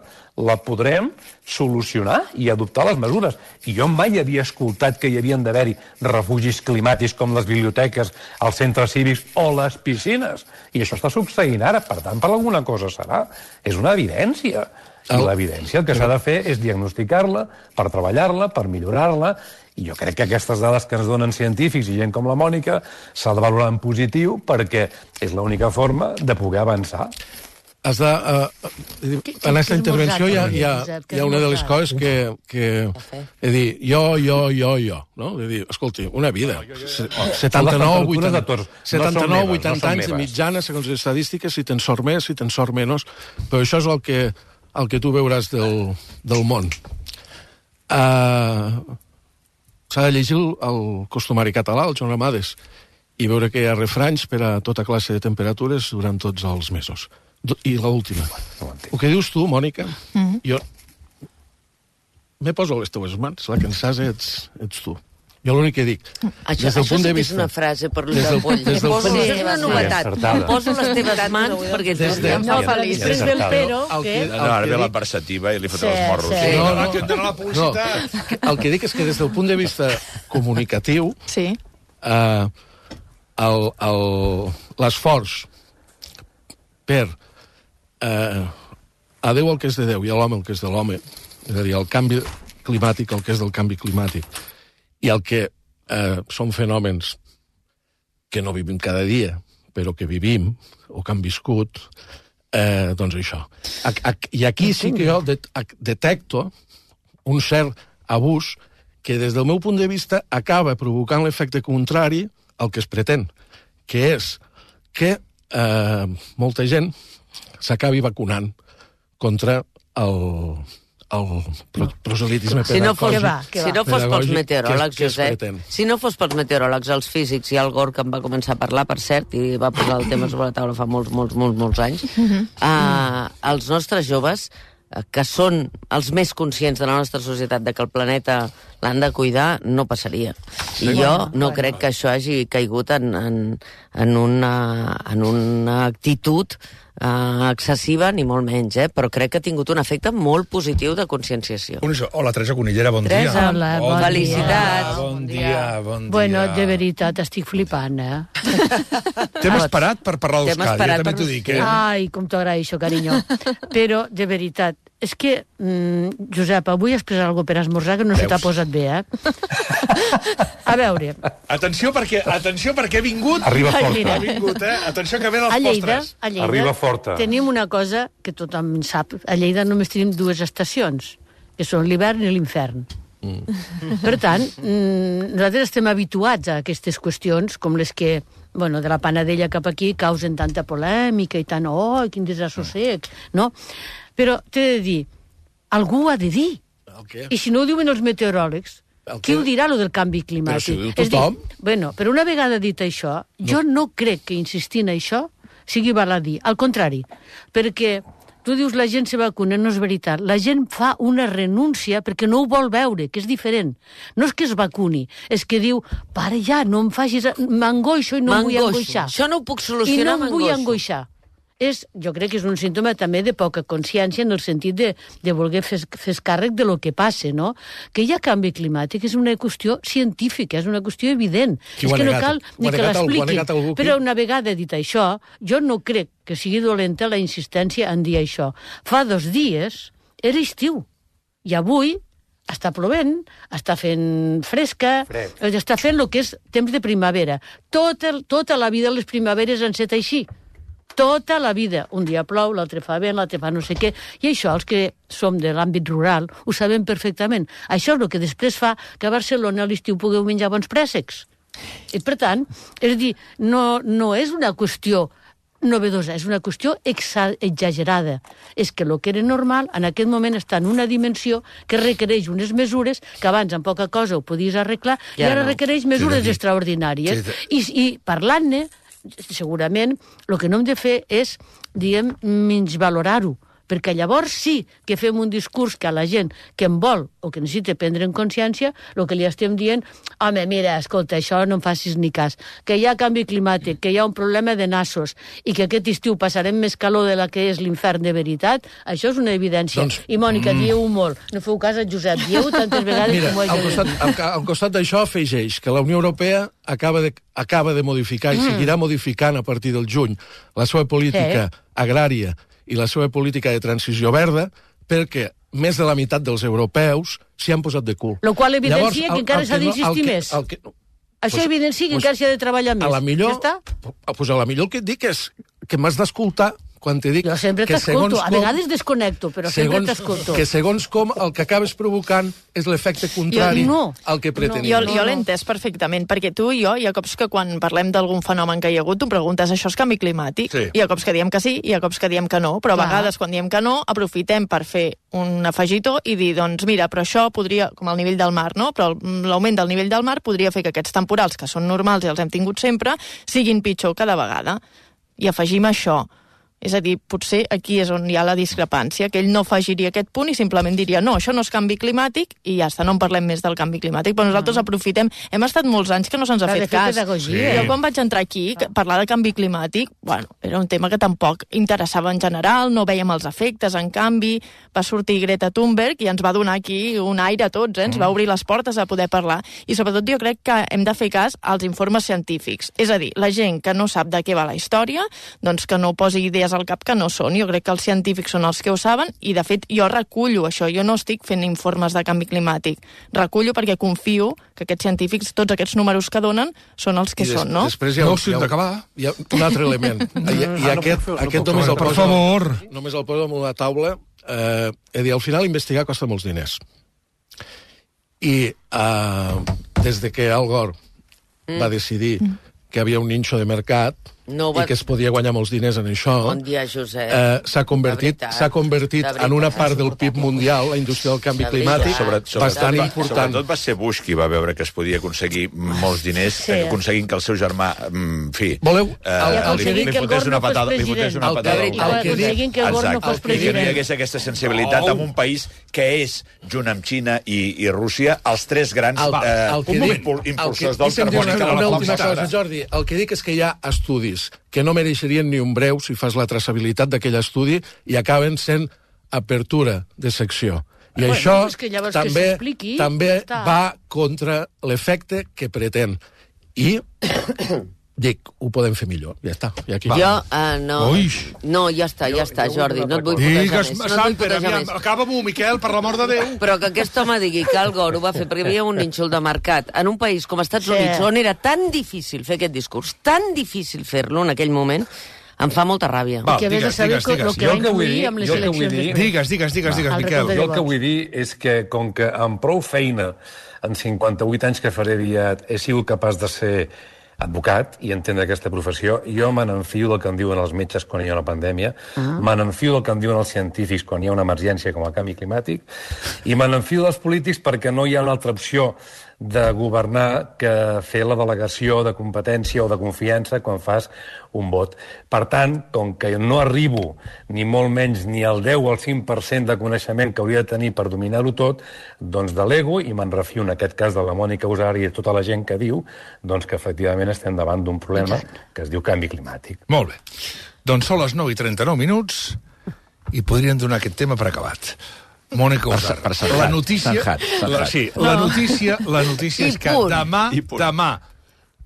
la podrem solucionar i adoptar les mesures. I jo mai havia escoltat que hi havien d'haver-hi refugis climàtics com les biblioteques, els centres cívics o les piscines. I això està succeint ara, per tant, per alguna cosa serà. És una evidència. I l'evidència el que s'ha de fer és diagnosticar-la, per treballar-la, per millorar-la, i jo crec que aquestes dades que ens donen científics i gent com la Mònica s'ha de valorar en positiu perquè és l'única forma de poder avançar. Has de, uh, en aquesta intervenció hi ha, hi, ha, hi ha una de les coses que, que he dit, jo, jo, jo, jo, no? He dit, escolti, una vida, setanta-nou, vuitanta anys de mitjana, segons les estadístiques, si tens sort més, si tens sort menys, però això és el que, el que tu veuràs del, del món. Uh, S'ha de llegir el, el costumari català, el Joan Amades, i veure que hi ha refranys per a tota classe de temperatures durant tots els mesos. I l'última. El que dius tu, Mònica, mm-hmm. jo me poso a les teves mans, la que en saps ets, ets tu. Jo l'únic que dic, això, des del això punt sí de que vista... és una frase per l'ull del poll. Des del Poso punt... és una novetat. Em poso les teves mans perquè des de... No, feliç. Després del però, que... No, ara ve la perceptiva i li fotrà els morros. Sí. No, no, no, la publicitat. No, el que dic és que des del punt de vista comunicatiu, sí. eh, l'esforç per eh, a Déu el que és de Déu i a l'home el que és de l'home, és a dir, el canvi climàtic el que és del canvi climàtic, i el que eh, són fenòmens que no vivim cada dia, però que vivim, o que han viscut, eh, doncs això. A, a, I aquí sí que jo det, a, detecto un cert abús que des del meu punt de vista acaba provocant l'efecte contrari al que es pretén, que és que eh, molta gent s'acabi vacunant contra el, el proselitisme si no fos, pedagògic. Si no fos pels meteoròlegs, que es, que Josep, si no fos pels meteoròlegs, els físics i el Gore, que em va començar a parlar, per cert, i va posar el tema sobre la taula fa molts, molts, molts, molts anys, uh-huh. uh, els nostres joves, que són els més conscients de la nostra societat de que el planeta l'han de cuidar, no passaria. I jo no crec que això hagi caigut en, en, en, una, en una actitud uh, excessiva, ni molt menys, eh? Però crec que ha tingut un efecte molt positiu de conscienciació. Hola, Teresa Conillera, bon Teresa, dia. Hola, bon felicitats. Dia. Bon dia, bon dia. Bueno, de veritat, estic flipant, eh? T'hem esperat per parlar d'Euskadi, jo també t'ho dic, eh? Ai, com t'agraeixo, carinyo. Però, de veritat, és que, mm, Josep, avui has pres alguna per esmorzar que no Veus? Se t'ha posat passat bé, eh? A veure... Atenció perquè, atenció perquè he vingut... Arriba Ai, forta. mira. Ha vingut, eh? Atenció que ve dels A Lleida, postres. a Lleida Arriba forta. tenim una cosa que tothom sap. A Lleida només tenim dues estacions, que són l'hivern i l'infern. Mm. Per tant, nosaltres estem habituats a aquestes qüestions, com les que, bueno, de la Panadella cap aquí causen tanta polèmica i tant, oh, quin desassossec, no? Però t'he de dir, algú ho ha de dir. El què? I si no ho diuen els meteoròlegs, El qui què? ho dirà, lo del canvi climàtic? Però si ho diu És dir, tothom. bueno, però una vegada dit això, jo no crec que insistir en això sigui baladí. Al contrari, perquè tu dius la gent se vacuna, no és veritat. La gent fa una renúncia perquè no ho vol veure, que és diferent. No és que es vacuni, és que diu, pare ja, no em facis... M'angoixo i no em vull M'angoixo. angoixar. Això no ho puc I solucionar, no em vull m'angoixo. angoixar. És, jo crec que és un símptoma també de poca consciència en el sentit de, de voler fer, fer càrrec de lo que passa, no? Que hi ha canvi climàtic és una qüestió científica, és una qüestió evident. Qui és ho ha que no negat? cal Ho ni ha que negat algú? Ho ha l'expliquin. negat algú aquí? Però una vegada dit això, jo no crec que sigui dolenta la insistència en dir això. Fa dos dies era estiu, i avui està plovent, està fent fresca, Fred. està fent el que és temps de primavera. Tota, tota la vida les primaveres han estat així. Tota la vida. Un dia plou, l'altre fa vent, l'altre fa no sé què. I això, els que som de l'àmbit rural, ho sabem perfectament. Això és el que després fa que a Barcelona a l'estiu pugueu menjar bons préssecs. I, per tant, és a dir, no, no és una qüestió novedosa, és una qüestió exa exagerada. És que el que era normal en aquest moment està en una dimensió que requereix unes mesures que abans amb poca cosa ho podies arreglar i Ja ara no. requereix mesures Sí, extraordinàries. Sí, I, i parlant-ne, segurament el que no hem de fer és, diguem, menys valorar-ho, perquè llavors sí que fem un discurs que a la gent que en vol o que necessita prendre en consciència, el que li estem dient, home, mira, escolta, això no em facis ni cas, que hi ha canvi climàtic, que hi ha un problema de nassos i que aquest estiu passarem més calor de la que és l'infern de veritat, això és una evidència. Doncs, I, Mònica, mm. dieu-ho molt. No feu cas a Josep, dieu tantes vegades Mira, com ho he al de costat, dir. al, al costat d'això afegeix que la Unió Europea acaba de, acaba de modificar i seguirà modificant a partir del juny la seva política Sí. agrària i la seva política de transició verda perquè més de la meitat dels europeus s'hi han posat de cul. Lo qual evidencia Llavors, que el- encara el s'ha no- d'insistir el que- més. el que- Això pues- evidencia que pues, encara s'ha de treballar més. A la millor, Ja està? pues a la millor el que et dic és que m'has d'escoltar quan te dic Jo sempre que t'escolto. segons A com- vegades desconnecto, però sempre segons, t'escolto. que segons com el que acabes provocant és l'efecte contrari Jo- no. al que pretenies. Jo, No, jo no. l'he entès perfectament, perquè tu i jo, hi ha cops que quan parlem d'algun fenomen que hi ha hagut, tu em preguntes, això és canvi climàtic? Sí. Hi ha cops que diem que sí, hi ha cops que diem que no, però a Clar. vegades quan diem que no, aprofitem per fer un afegitó i dir, doncs mira, però això podria, com el nivell del mar, no? Però el- l'augment del nivell del mar podria fer que aquests temporals, que són normals i els hem tingut sempre, siguin pitjor cada vegada. I afegim això. És a dir, potser aquí és on hi ha la discrepància, que ell no afegiria aquest punt i simplement diria no, això no és canvi climàtic i ja està, no en parlem més del canvi climàtic, però nosaltres aprofitem, hem estat molts anys que no se'ns ha S'ha de fet fer cas. pedagogia. Jo quan vaig entrar aquí, que- parlar de canvi climàtic, bueno, era un tema que tampoc interessava en general, no veiem els efectes, en canvi, va sortir Greta Thunberg i ens va donar aquí un aire a tots, eh? Ens va obrir les portes a poder parlar, i sobretot jo crec que hem de fer cas als informes científics, és a dir, la gent que no sap de què va la història, doncs que no posi idees al cap que no són. Jo crec que els científics són els que ho saben i, de fet, jo recullo això. Jo no estic fent informes de canvi climàtic. Recullo perquè confio que aquests científics, tots aquests números que donen, són els que I des, són, no? Després hi ha, No, hi sí, ha, d'acabar. hi ha un altre element. I, i Ah, no aquest, puc fer- no aquest puc només, fer- el Per poso, favor. només el poso damunt la taula. Eh, és a dir, al final investigar costa molts diners. I eh, des de que Al Gore mm. va decidir que havia un ninxo de mercat No va- i que es podia guanyar molts diners en això, Bon dia, Josep. eh, s'ha convertit, De veritat, s'ha convertit de en una veritat. part del P I B mundial, la indústria del canvi De climàtic, veritat. Sobre, bastant va, important. Sobretot va ser Bush qui va veure que es podia aconseguir molts diners, Sí. sí. aconseguint que el seu germà, en fi... Voleu- eh, el- I el aconseguint li, que li el fotés Gore una no fos patada, li fotés president. una El que- patada. el I que va dic- aconseguint que el Gore no Exacte. fos I que no hi president. hagués aquesta sensibilitat Oh. en un país que és, junt amb Xina i, i Rússia, els tres grans El, eh, el que un dic, impul, el impulsors que, del deixa'm dir carboni que una, no una la última compten cosa, ara. Jordi. El que dic és que hi ha estudis que no mereixerien ni un breu si fas la traçabilitat d'aquell estudi i acaben sent apertura de secció. I Bueno, això és que llavors que també, s'expliqui, també ja està. va contra l'efecte que pretén. I Dic, ho podem fer millor, ja està. Ja aquí. Jo, uh, no, Ui. no, ja està, ja està, Jordi, no et vull putejar Digues, més. No et vull Samper, putejar aviam, més. acaba-m'ho, Miquel, per l'amor de Déu. Però que aquest home digui que Al Gore ho va fer perquè hi havia un nínxol de mercat en un país com Estats Sí. Units, on era tan difícil fer aquest discurs, tan difícil fer-lo en aquell moment, em fa molta ràbia. Va, Que a més de digues, saber digues, digues. el que Jo va el que vull influir dir- amb les jo el que vull eleccions. dir- després. Digues, digues, digues, digues, al Miquel. recorde Jo el que vull dir és que, com que amb prou feina, en cinquanta-vuit anys que faré aviat, he sigut capaç de ser advocat i entendre aquesta professió, jo me n'enfio del que em diuen els metges quan hi ha una pandèmia, ah. me n'enfio del que em diuen els científics quan hi ha una emergència com el canvi climàtic, i me n'enfio dels polítics perquè no hi ha una altra opció de governar que fer la delegació de competència o de confiança quan fas un vot. Per tant, com que no arribo ni molt menys ni al deu o al cinc per cent de coneixement que hauria de tenir per dominar-ho tot, doncs delego i me'n refio en aquest cas de la Mònica Usari i de tota la gent que diu doncs que efectivament estem davant d'un problema que es diu canvi climàtic. Molt bé. Doncs són les nou i trenta-nou minuts i podríem donar aquest tema per acabat. Mònica Usar. per Sanjat, La notícia, Sanjat, Sanjat. la, sí, la notícia, la notícia I és que punt. demà, I punt. demà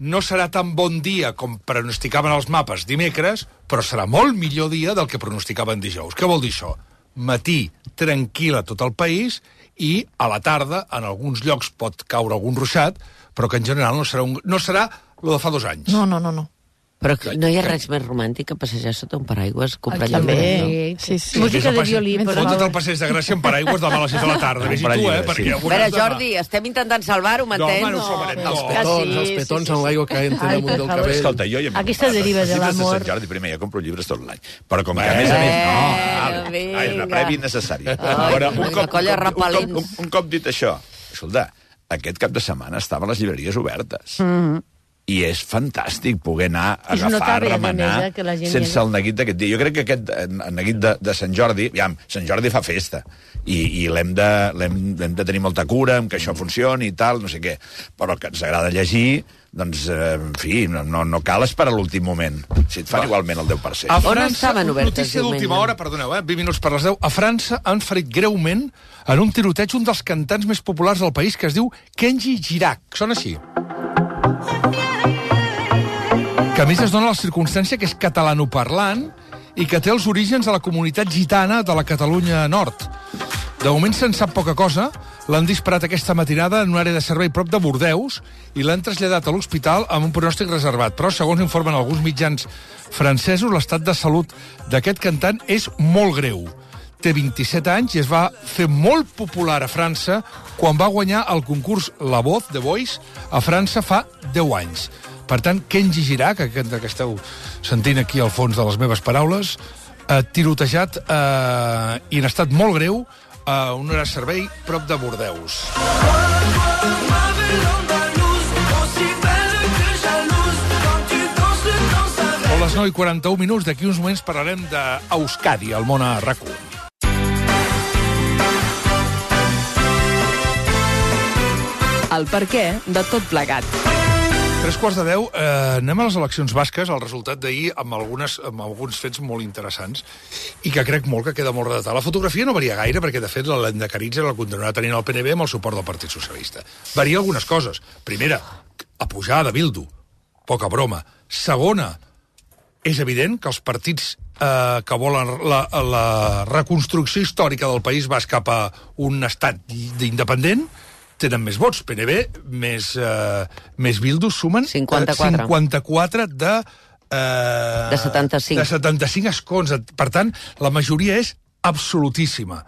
no serà tan bon dia com pronosticaven els mapes dimecres, però serà molt millor dia del que pronosticaven dijous. Què vol dir això? Matí tranquil a tot el país i a la tarda, en alguns llocs pot caure algun ruixat, però que en general no serà, un, no serà lo de fa dos anys. No, no, no, no. Però que no hi ha res més romàntic que passejar sota un paraigües comprant També. llum. Sí, sí. Música de violí. Mentre però- Fotre't el passeig de Gràcia en paraigües demà a les set de la tarda. Vés-hi tu, eh? Perquè Sí. ja ho A veure, veuràs demà. Jordi, estem intentant salvar-ho, No, m'entens? home, no ho salvarem. Els No. petons, sí, els sí, petons sí, amb sí. l'aigua que entren Ai, damunt per del favor. cabell. Escolta, jo ja... Aquesta deriva de Els llibres l'amor. de Sant Jordi, primer, jo compro llibres tot l'any. Però com que, a més a més, no, vale, vinga. és una prèvia innecessària. Ai, Però una colla un, repel·lents. cop, un, un cop dit això, escolta, aquest cap de setmana estaven les llibreries obertes. Mm. I és fantàstic poder anar a I es agafar, notava, a remenar, més, eh, que la gent sense hi el neguit d'aquest dia. Jo crec que aquest eh, neguit de, de Sant Jordi, aviam, Sant Jordi fa festa, i, i l'hem de, l'hem l'hem de tenir molta cura amb que això funcioni i tal, no sé què. Però que ens agrada llegir, doncs, eh, en fi, no, no, no cal esperar l'últim moment. Si et fan igualment el deu per cent. A On estaven obertes notícia diumenge? d'última hora, perdoneu, eh? vint minuts per les deu. A França han ferit greument en un tiroteig un dels cantants més populars del país, que es diu Kenji Girac. Sona així. Que a més es dona la circumstància que és catalanoparlant i que té els orígens a la comunitat gitana de la Catalunya Nord. De moment se'n sap poca cosa. L'han disparat aquesta matinada en una àrea de servei prop de Bordeus i l'han traslladat a l'hospital amb un pronòstic reservat. Però, segons informen alguns mitjans francesos, l'estat de salut d'aquest cantant és molt greu. Té vint-i-set anys i es va fer molt popular a França quan va guanyar el concurs La Voz, The Voice, a França fa deu anys. Per tant, Kenji Girac, aquest que esteu sentint aquí al fons de les meves paraules, eh, tirotejat eh, i en estat molt greu a un hora de servei prop de Bordeus. Són les nou i quaranta-un minuts. D'aquí uns moments parlarem d'Euskadi, al món a RAC u. El perquè de tot plegat. Tres quarts de deu, eh, anem a les eleccions basques, el resultat d'ahir amb, algunes, amb alguns fets molt interessants i que crec molt que queda molt redatat. La fotografia no varia gaire perquè, de fet, l'Endecaritza la continuarà tenint el P N V amb el suport del Partit Socialista. Varia algunes coses. Primera, a pujar de Bildu. Poca broma. Segona, és evident que els partits eh, que volen la, la reconstrucció històrica del País Basc cap a un estat independent tenen més vots. P N V més, eh, més Bildu sumen cinquanta-quatre. cinquanta-quatre de... Eh, De setanta-cinc. De setanta-cinc escons. Per tant, la majoria és absolutíssima.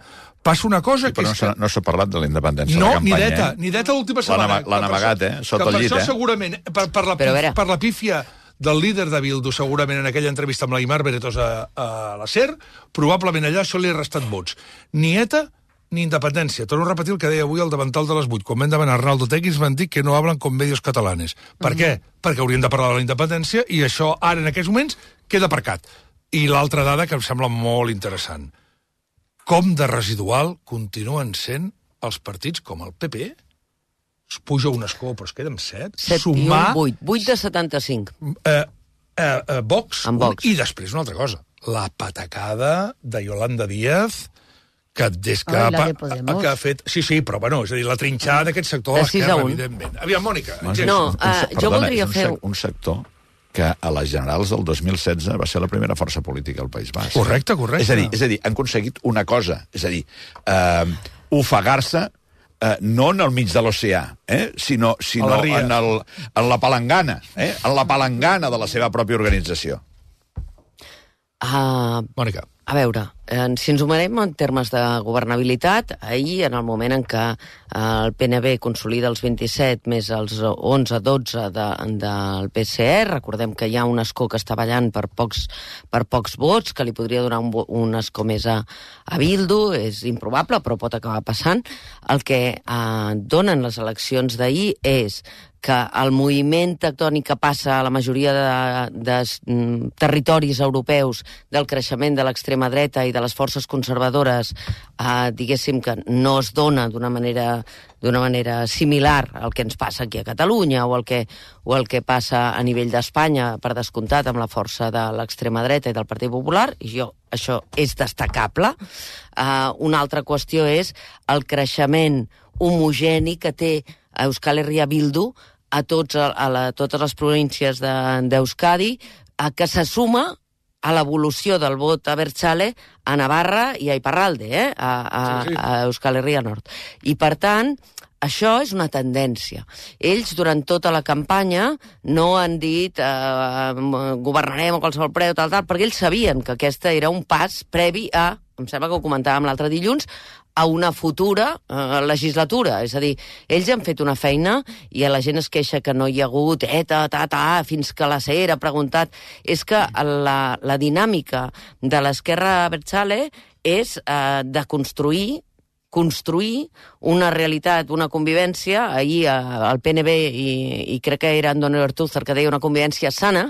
Passa una cosa Sí, que però no és s'ha que... no s'ha parlat de la independència No, de la ni campanya, deta, eh? ni deta l'última L'han setmana. ama- l'han Que per amagat, això- eh? Sota que el per llit, això eh? segurament, per, per, la, Però a veure. per la pífia del líder de Bildu, segurament en aquella entrevista amb l'Aimar Beretos a, a la SER, probablement allà això li ha restat vots. Ni ETA ni independència. Torno a repetir el que deia avui al davantal de les vuit. Quan vam demanar Arnaldo Tegui ens van dir que no hablen com medios catalanes. Per Mm. què? Perquè haurien de parlar de la independència i això ara, en aquests moments, queda aparcat. I l'altra dada que em sembla molt interessant. Com de residual continuen sent els partits com el P P? Es puja un escó, però es queda amb set. set i Sumar un, vuit. vuit de setanta-cinc. eh, eh, eh, Vox, Amb Vox. I després una altra cosa. La patacada de Yolanda Díaz que des que, Ai, la pa- de Podemos. que ha fet... Sí, sí, però bueno, és a dir, la trinxada d'aquest sector De de sis a l'esquerra, un. evidentment. Aviam, Mònica. No, engega. No, un, eh, se- jo perdona, voldria és un, fer- sec- un sector que a les generals del dos mil setze va ser la primera força política al País Basc. Correcte, correcte. És a dir, és a dir han aconseguit una cosa, és a dir, eh, ofegar-se eh, no en el mig de l'oceà, eh, sinó, sinó en, el, en la palangana, eh, en la palangana de la seva pròpia organització. Uh, Mònica. A veure, eh, si ens ho mirem en termes de governabilitat, ahir, en el moment en què eh, el P N B consolida els vint-i-set més els onze dotze de, del P S E, recordem que hi ha un escó que està ballant per pocs, per pocs vots, que li podria donar un, un escó més a, a Bildu, és improbable, però pot acabar passant. El que eh, donen les eleccions d'ahir és que el moviment tectònic que passa a la majoria de, de mm, territoris europeus del creixement de l'extrema dreta i de les forces conservadores, eh, diguéssim que no es dona d'una manera, d'una manera similar al que ens passa aquí a Catalunya o el que, o el que passa a nivell d'Espanya, per descomptat, amb la força de l'extrema dreta i del Partit Popular, i jo, això és destacable. Eh, una altra qüestió és el creixement homogeni que té Euskal Herria Bildu a, tots, a, la, a totes les províncies d'Euskadi, de, que se suma a l'evolució del vot abertzale a Navarra i a Iparralde, eh? a, a, sí, sí. a Euskal Herria Nord. I, per tant, això és una tendència. Ells, durant tota la campanya, no han dit eh, governarem a qualsevol preu, tal, tal, perquè ells sabien que aquesta era un pas previ a, em sembla que ho comentàvem l'altre dilluns, a una futura eh, legislatura. És a dir, ells han fet una feina i la gent es queixa que no hi ha hagut eta, ta, ta, fins que la C E R ha preguntat. És que la, la dinàmica de l'esquerra abertzale és eh, de construir construir una realitat, una convivència. Ahir el P N B, i, i crec que era Andoni Ortúzar que deia una convivència sana,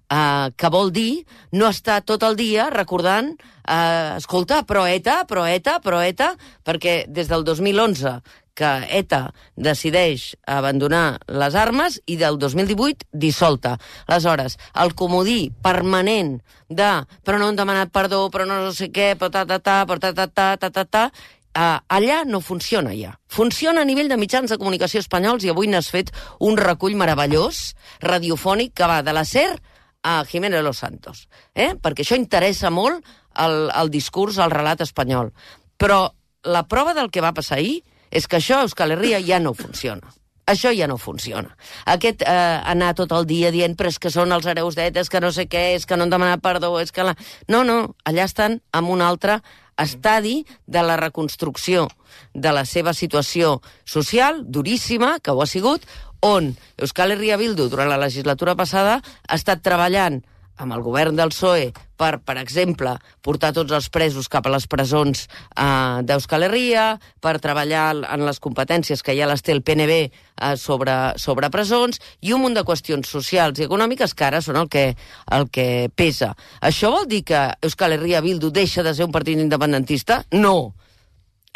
eh, que vol dir no estar tot el dia recordant eh, escolta, però ETA, però ETA, però ETA, perquè des del dos mil onze que ETA decideix abandonar les armes i del dos mil divuit dissolta. Aleshores, el comodí permanent de però no han demanat perdó, però no sé què, però ta, ta, ta, però ta, ta, ta, ta, ta, ta, Uh, allà no funciona ja. Funciona a nivell de mitjans de comunicació espanyols i avui n'has fet un recull meravellós, radiofònic, que va de la SER a Jiménez Los Santos. Eh? Perquè això interessa molt el, el discurs, el relat espanyol. Però la prova del que va passar ahir és que això a Euskal Herria ja no funciona. Això ja no funciona. Aquest eh, anar tot el dia dient però és que són els hereus d'ETA, és que no sé què, és que no han demanat perdó, és que... La... No, no, allà estan amb un altre estadi de la reconstrucció de la seva situació social, duríssima, que ho ha sigut, on Euskal Herria Bildu, durant la legislatura passada, ha estat treballant amb el govern del P S O E per, per exemple, portar tots els presos cap a les presons eh, d'Euskal Herria, per treballar en les competències que ja les té el P N B eh, sobre, sobre presons, i un munt de qüestions socials i econòmiques que ara són el que, el que pesa. Això vol dir que Euskal Herria Bildu deixa de ser un partit independentista? No.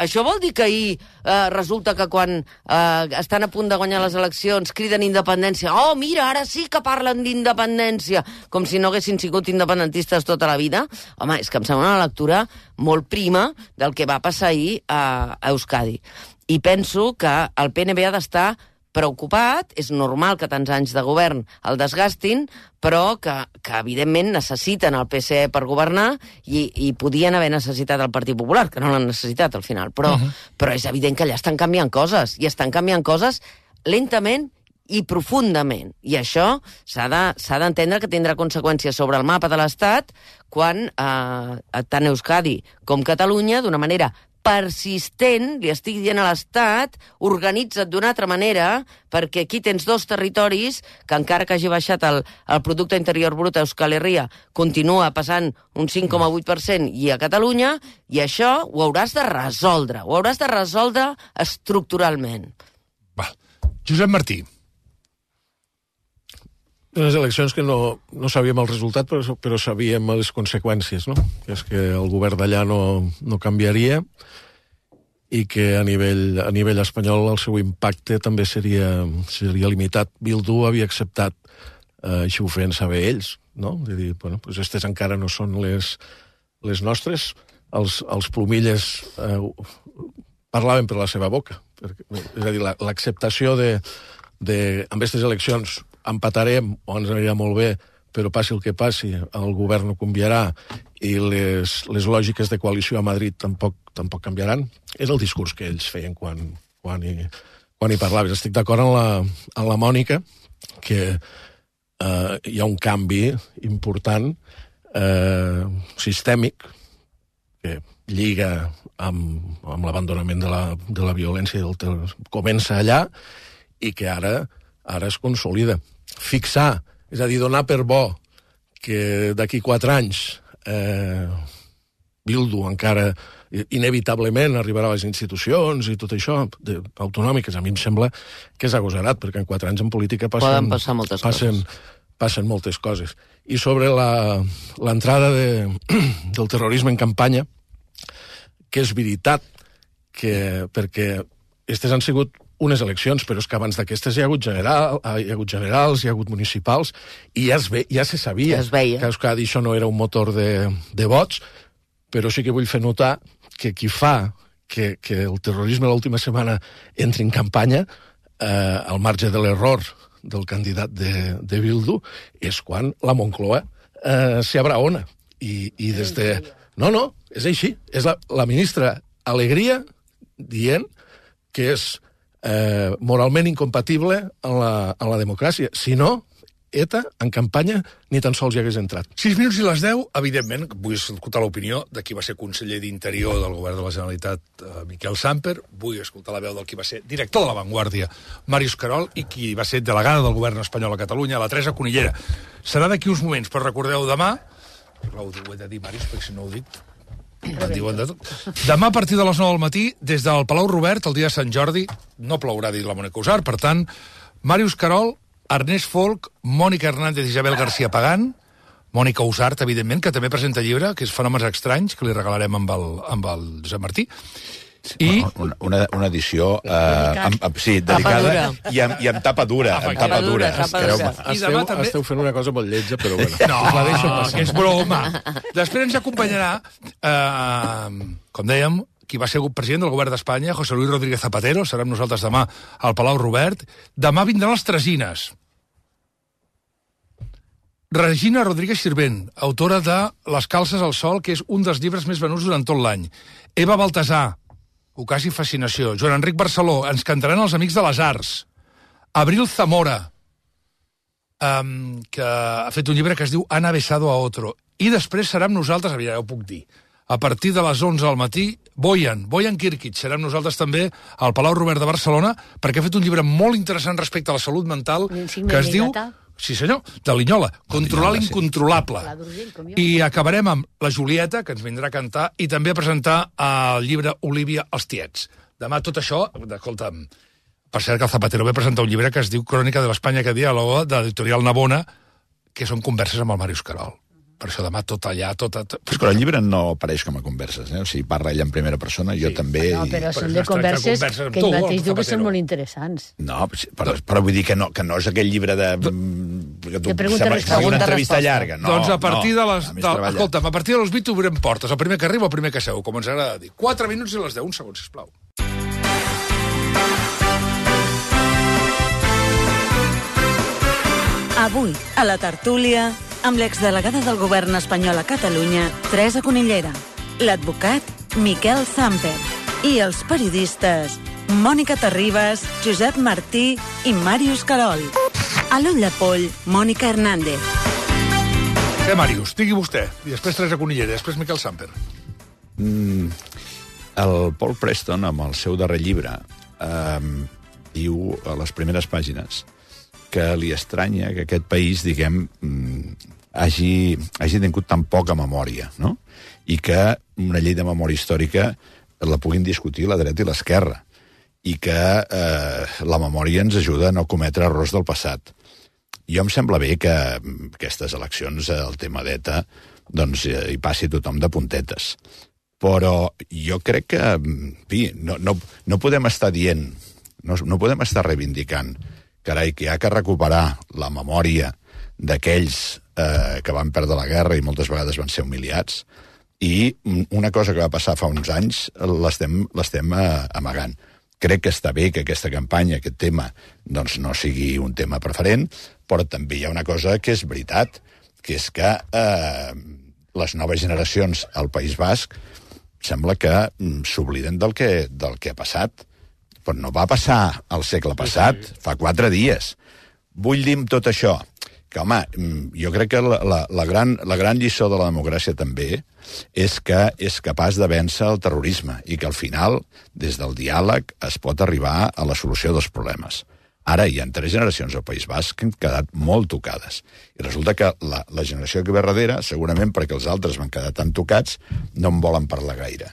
Això vol dir que ahir eh, resulta que quan eh, estan a punt de guanyar les eleccions criden independència. Oh, mira, ara sí que parlen d'independència, com si no haguessin sigut independentistes tota la vida. Home, és que em sembla una lectura molt prima del que va passar ahir a, a Euskadi. I penso que el P N B ha d'estar preocupat, és normal que tants anys de govern el desgastin, però que, que evidentment necessiten el P S E per governar i, i podien haver necessitat el Partit Popular, que no l'han necessitat al final, però, uh -huh. però és evident que allà estan canviant coses, i estan canviant coses lentament i profundament. I això s'ha de, s'ha d'entendre que tindrà conseqüències sobre el mapa de l'Estat quan eh, tant Euskadi com Catalunya, d'una manera persistent, li estic dient a l'Estat, organitza't d'una altra manera, perquè aquí tens dos territoris que encara que hagi baixat el, el producte interior brut a Euskal Herria, continua passant un cinc coma vuit per cent i a Catalunya, i això ho hauràs de resoldre, ho hauràs de resoldre estructuralment. Va. Josep Martí. Unes eleccions que no, no sabíem el resultat, però, però sabíem les conseqüències, no? Que és que el govern d'allà no, no canviaria i que a nivell, a nivell espanyol el seu impacte també seria, seria limitat. Bildu havia acceptat, eh, així ho feien saber ells, no? De dir, bueno, pues aquestes encara no són les, les nostres. Els, els plomilles eh, parlaven per la seva boca. Perquè, és a dir, l'acceptació de, de, amb aquestes eleccions empatarem o ens anirà molt bé però passi el que passi, el govern no canviarà i les, les lògiques de coalició a Madrid tampoc, tampoc canviaran. És el discurs que ells feien quan, quan, hi, quan hi parlaves. Estic d'acord amb la, amb la Mònica que eh, hi ha un canvi important, eh, sistèmic, que lliga amb, amb l'abandonament de la, de la violència, del ter... comença allà i que ara, ara es consolida. Fixar, és a dir, donar per bo que d'aquí quatre anys eh, Bildu encara inevitablement arribarà a les institucions i tot això, de, autonòmiques, a mi em sembla que és agosarat, perquè en quatre anys en política passen, poden passar moltes passen, coses. Passen moltes coses. I sobre l'entrada de, del terrorisme en campanya, que és veritat que, perquè aquestes han sigut unes eleccions, però és que abans d'aquestes hi ha hagut, general, hi ha hagut generals, hi ha hagut municipals, i ja, es ve, ja se sabia ja es veia. que Euskadi això no era un motor de, de vots, però sí que vull fer notar que qui fa que, que el terrorisme l'última setmana entri en campanya, eh, al marge de l'error del candidat de, de Bildu, és quan la Moncloa eh, s'hi abraona. I, I des de... No, no, és així. És la, la ministra Alegria dient que és Eh, moralment incompatible amb la, amb la democràcia. Si no, ETA, en campanya, ni tan sols hi hagués entrat. Sis minuts i les deu, evidentment, vull escoltar l'opinió de qui va ser conseller d'Interior del govern de la Generalitat, eh, Miquel Samper, vull escoltar la veu del qui va ser director de La Vanguardia, Màrius Querol, i qui va ser delegada del govern espanyol a Catalunya, la Teresa Conillera. Serà d'aquí uns moments, però recordeu demà, ho he de dir, Màrius, perquè si no ho dic, em diuen de tot. Demà a partir de les nou del matí, des del Palau Robert, el dia de Sant Jordi, no plourà, dit la Mònica Usar, per tant, Màrius Querol, Ernest Folk, Mònica Hernández i Isabel García Pagán, Mònica Usart, evidentment, que també presenta llibre, que és Fenòmens Estranys, que li regalarem amb el, amb el Josep Martí. I una, una, una edició eh, amb, amb, sí, dedicada i amb, i amb tapa dura, amb tapa dura. Esteu, també... esteu fent una cosa molt lletja, però bueno. No, la deixo passar. Que és broma. Després ens acompanyarà, eh, com dèiem, qui va ser president del govern d'Espanya, José Luis Rodríguez Zapatero, serà amb nosaltres demà al Palau Robert. Demà vindran les Tresines. Regina Rodríguez Sirvent, autora de Les calces al sol, que és un dels llibres més venuts durant tot l'any. Eva Baltasar, Ocasi Fascinació. Joan Enric Barceló, ens cantaran els Amics de les Arts. Abril Zamora, um, que ha fet un llibre que es diu Ana besado a otro. I després serà amb nosaltres, ja ho puc dir, a partir de les onze del matí, Boyan, Boyan Kirkic, serà amb nosaltres també al Palau Robert de Barcelona, perquè ha fet un llibre molt interessant respecte a la salut mental, que es diu... Sí, senyor, de Linyola, Controlar l'incontrolable. I acabarem amb la Julieta, que ens vindrà a cantar, i també a presentar el llibre Olívia als tiets. Demà tot això, escolta'm, per cert que el Zapatero ve presentar un llibre que es diu Crònica de l'Espanya que diàloga, de l'editorial Navona, que són converses amb el Màrius Querol. Per això demà tot allà, tot... tot... Però el llibre no apareix com a converses, eh? O sigui, parla ella en primera persona, jo sí. també... No, però i... són de converses, converses que ell mateix diu que són molt interessants. No, però, però vull dir que no, que no és aquell llibre de... Que tu, de pregunta resposta. Una entrevista llarga. No, doncs a partir no, de les... De, escolta'm, a partir de les vuit obrirem portes. El primer que arriba, el primer que seu, com ens agrada dir. Quatre minuts i les deu. Un segon, sisplau. Avui, a la tertúlia, amb l'exdelegada del govern espanyol a Catalunya, Teresa Conillera, l'advocat Miquel Samper i els periodistes Mònica Terribas, Josep Martí i Màrius Querol. A l'ull de poll, Mònica Hernández. Què, Màrius? Digui vostè. I després Teresa Conillera, i després Miquel Samper. Mm, el Paul Preston, amb el seu darrer llibre, eh, diu a les primeres pàgines que li estranya que aquest país, diguem, hagi, hagi tingut tan poca memòria, no? I que una llei de memòria històrica la puguin discutir la dreta i l'esquerra, i que eh, la memòria ens ajuda a no cometre errors del passat. Jo em sembla bé que aquestes eleccions, el tema d'ETA, doncs hi passi tothom de puntetes. Però jo crec que, en fi, no, no, no podem estar dient, no, no podem estar reivindicant carai, que hi ha que recuperar la memòria d'aquells eh, que van perdre la guerra i moltes vegades van ser humiliats, i una cosa que va passar fa uns anys l'estem l'estem eh, amagant. Crec que està bé que aquesta campanya, aquest tema, doncs no sigui un tema preferent, però també hi ha una cosa que és veritat, que és que eh, les noves generacions al País Basc sembla que mm, s'obliden del que, del que ha passat. Però no va passar al segle passat, fa quatre dies. Vull dir amb tot això que, home, jo crec que la, la, la, gran, la gran lliçó de la democràcia també és que és capaç de vèncer el terrorisme i que al final, des del diàleg, es pot arribar a la solució dels problemes. Ara hi ha tres generacions al País Basc que han quedat molt tocades. I resulta que la, la generació que ve darrere, segurament perquè els altres van quedar tan tocats, no en volen parlar gaire.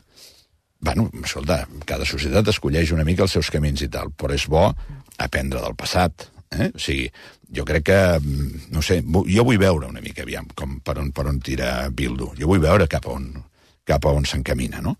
Bueno, escolta, cada societat escolleix una mica els seus camins i tal, però és bo aprendre del passat. Eh? O sigui, jo crec que, no sé, jo vull veure una mica, aviam, com per on, per on tira Bildu. Jo vull veure cap a on, cap a on s'encamina, no?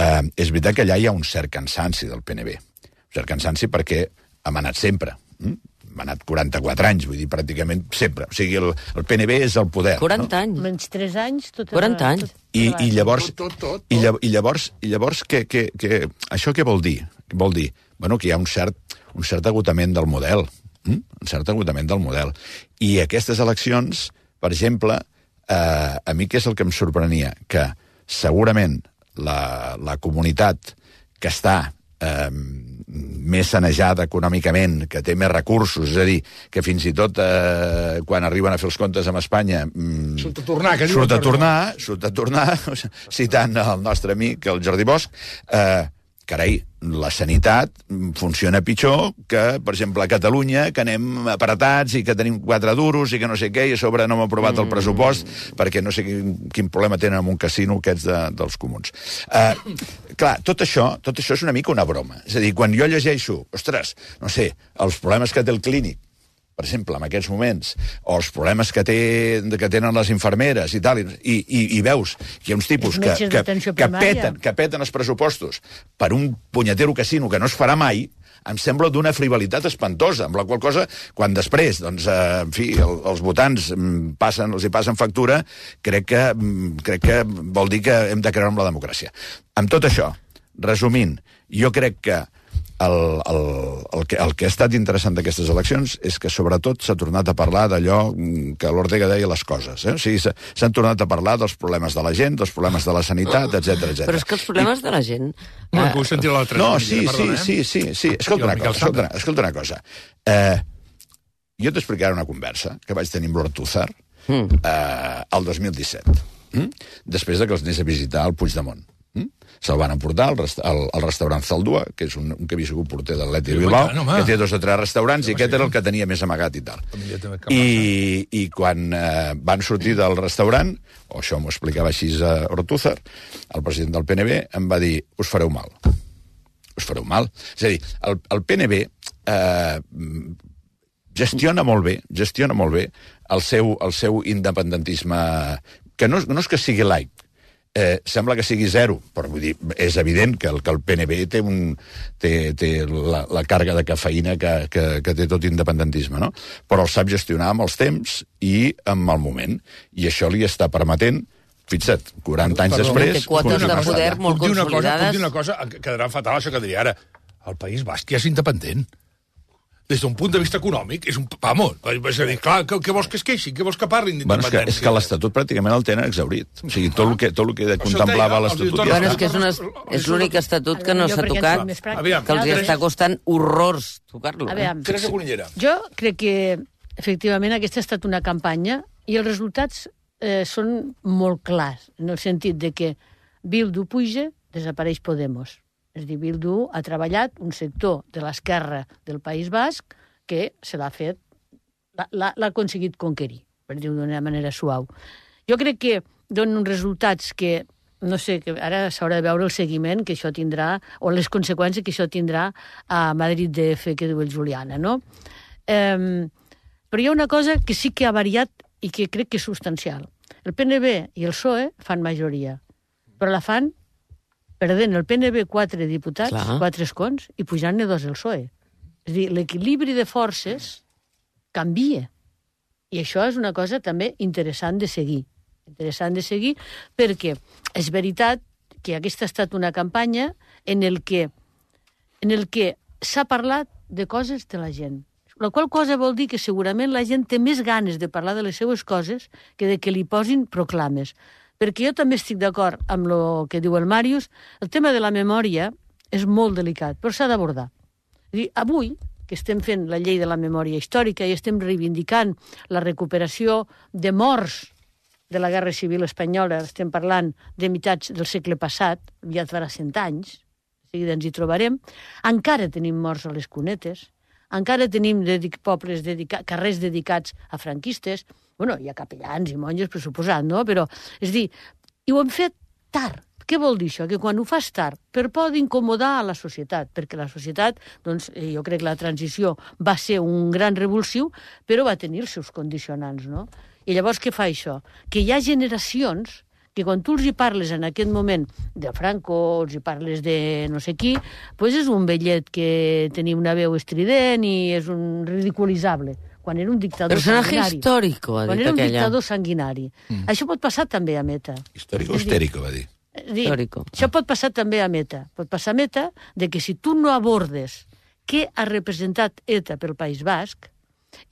Eh, és veritat que allà hi ha un cert cansanci del P N B. Un cert cansanci perquè ha manat sempre. Hm? Ha anat quaranta-quatre anys, vull dir, pràcticament sempre. O sigui, el, el P N B és el poder. quaranta anys. Menys tres anys, tot... quaranta anys. I, i llavors, Tot, tot, tot. i llavors, i llavors, i llavors que, que, que, això què vol dir? Què vol dir? Bueno, que hi ha un cert, un cert agotament del model. Mm? Un cert agotament del model. I aquestes eleccions, per exemple, eh, a mi què és el que em sorprenia? Que segurament la, la comunitat que està eh, més sanejada econòmicament, que té més recursos, és a dir, que fins i tot eh, quan arriben a fer els comptes amb Espanya mm, Surt a tornar, que diu surt a el tornar, surt a tornar, citant el nostre amic, el Jordi Bosch, eh, carai, la sanitat funciona pitjor que, per exemple, a Catalunya, que anem apretats i que tenim quatre duros i que no sé què, i a sobre no hem aprovat mm. el pressupost perquè no sé quin, quin problema tenen amb un casino aquests de, dels comuns. Uh, clar, tot això, tot això és una mica una broma. És a dir, quan jo llegeixo, ostres, no sé, els problemes que té el clínic, per exemple, en aquests moments, o els problemes que, té, que tenen les infermeres i tal, i, i, i veus que hi ha uns tipus que, que, que, peten, que peten els pressupostos per un punyetero casino que no es farà mai, em sembla d'una frivolitat espantosa, amb la qual cosa, quan després, doncs, eh, en fi, el, els votants passen, els hi passen factura, crec que, crec que vol dir que hem de creure en la democràcia. Amb tot això, resumint, jo crec que El, el, el, que, el que ha estat interessant d'aquestes eleccions és que sobretot s'ha tornat a parlar d'allò que l'Ortega deia les coses. Eh? O sigui, s'han tornat a parlar dels problemes de la gent, dels problemes de la sanitat, etcètera, etcètera. Però és que els problemes I... de la gent... No, eh... puc sentir l'altra. No, sí, sí, sí, sí, sí. Escolta una cosa, escolta, escolta una cosa. Eh, jo t'explicaré una conversa que vaig tenir amb l'Ortúzar mm. eh, el dos mil disset, mm? després de que els anés a visitar al Puigdemont. Mm? Se'l van emportar al, resta al, al restaurant Zaldua, que és un, un que havia sigut porter de l'Atlètic de Bilbao, no, que té dos o tres restaurants, i aquest era el que tenia més amagat i tal. I, i quan eh, van sortir del restaurant, o això m'ho explicava així a Ortúzar, el president del P N B em va dir, us fareu mal. Us fareu mal. És a dir, el, el P N B eh, gestiona molt bé, gestiona molt bé el seu, el seu independentisme, que no, no és que sigui laic, Eh, sembla que sigui zero, però vull dir, és evident que el, que el P N B té, un, té, té la, la càrrega de cafeïna que, que, que té tot independentisme, no? Però el sap gestionar amb els temps i amb el moment. I això li està permetent, fixa't, quaranta anys Perdó, després... Té quotes de poder molt puc consolidades. Puc dir una cosa, quedarà fatal això que diria ara. El País Basc ja és independent. Des d'un punt de vista econòmic, és un... Vamos, és a dir, clar, què, què vols que es queixi? Què vols que parlin d'independència? Bueno, és que, és que l'Estatut pràcticament el tenen exaurit. O sigui, tot el que, tot el que contemplava l'Estatut ja bueno, està. És que és, una, és l'únic estatut que no s'ha tocat, Aviam, que els està costant horrors tocar-lo. Eh? Teresa Cunillera. Jo crec que, efectivament, aquesta ha estat una campanya i els resultats eh, són molt clars, en el sentit de que Bildu puja, desapareix Podemos. És a dir, Bildu ha treballat un sector de l'esquerra del País Basc que se l'ha fet, l'ha aconseguit conquerir, per dir-ho d'una manera suau. Jo crec que donen uns resultats que, no sé, que ara s'haurà de veure el seguiment que això tindrà, o les conseqüències que això tindrà a Madrid D F, que diu el Juliana, no? Eh, però hi ha una cosa que sí que ha variat i que crec que és substancial. El P N B i el P S O E fan majoria, però la fan perdent el P N B quatre diputats, Clar. quatre escons, i pujant-ne dos el P S O E. És a dir, l'equilibri de forces canvia. I això és una cosa també interessant de seguir. Interessant de seguir perquè és veritat que aquesta ha estat una campanya en el que, en el que s'ha parlat de coses de la gent. La qual cosa vol dir que segurament la gent té més ganes de parlar de les seues coses que de que li posin proclames. Perquè jo també estic d'acord amb el que diu el Màrius, el tema de la memòria és molt delicat, però s'ha d'abordar. Avui, que estem fent la llei de la memòria històrica i estem reivindicant la recuperació de morts de la Guerra Civil Espanyola, estem parlant de meitats del segle passat, ja farà cent anys, de seguida ens hi trobarem, encara tenim morts a les cunetes, encara tenim dedic pobles dedica carrers dedicats a franquistes, bueno, hi ha capellans i monges, per suposat, no? Però, és dir, i ho hem fet tard. Què vol dir això? Que quan ho fas tard, per por d'incomodar a la societat, perquè la societat, doncs, jo crec que la transició va ser un gran revulsiu, però va tenir els seus condicionants, no? I llavors què fa això? Que hi ha generacions que quan tu els hi parles en aquest moment de Franco, els hi parles de no sé qui, doncs és un vellet que tenia una veu estrident i és un ridiculitzable. Quan era un dictador Personaje sanguinari. històrico, ha dit Quan era un aquella. dictador sanguinari. Mm. Això pot passar també a Meta. Històrico histèrico, va dir. Dir, això pot passar també a Meta. Pot passar a Meta de que si tu no abordes què ha representat ETA pel País Basc,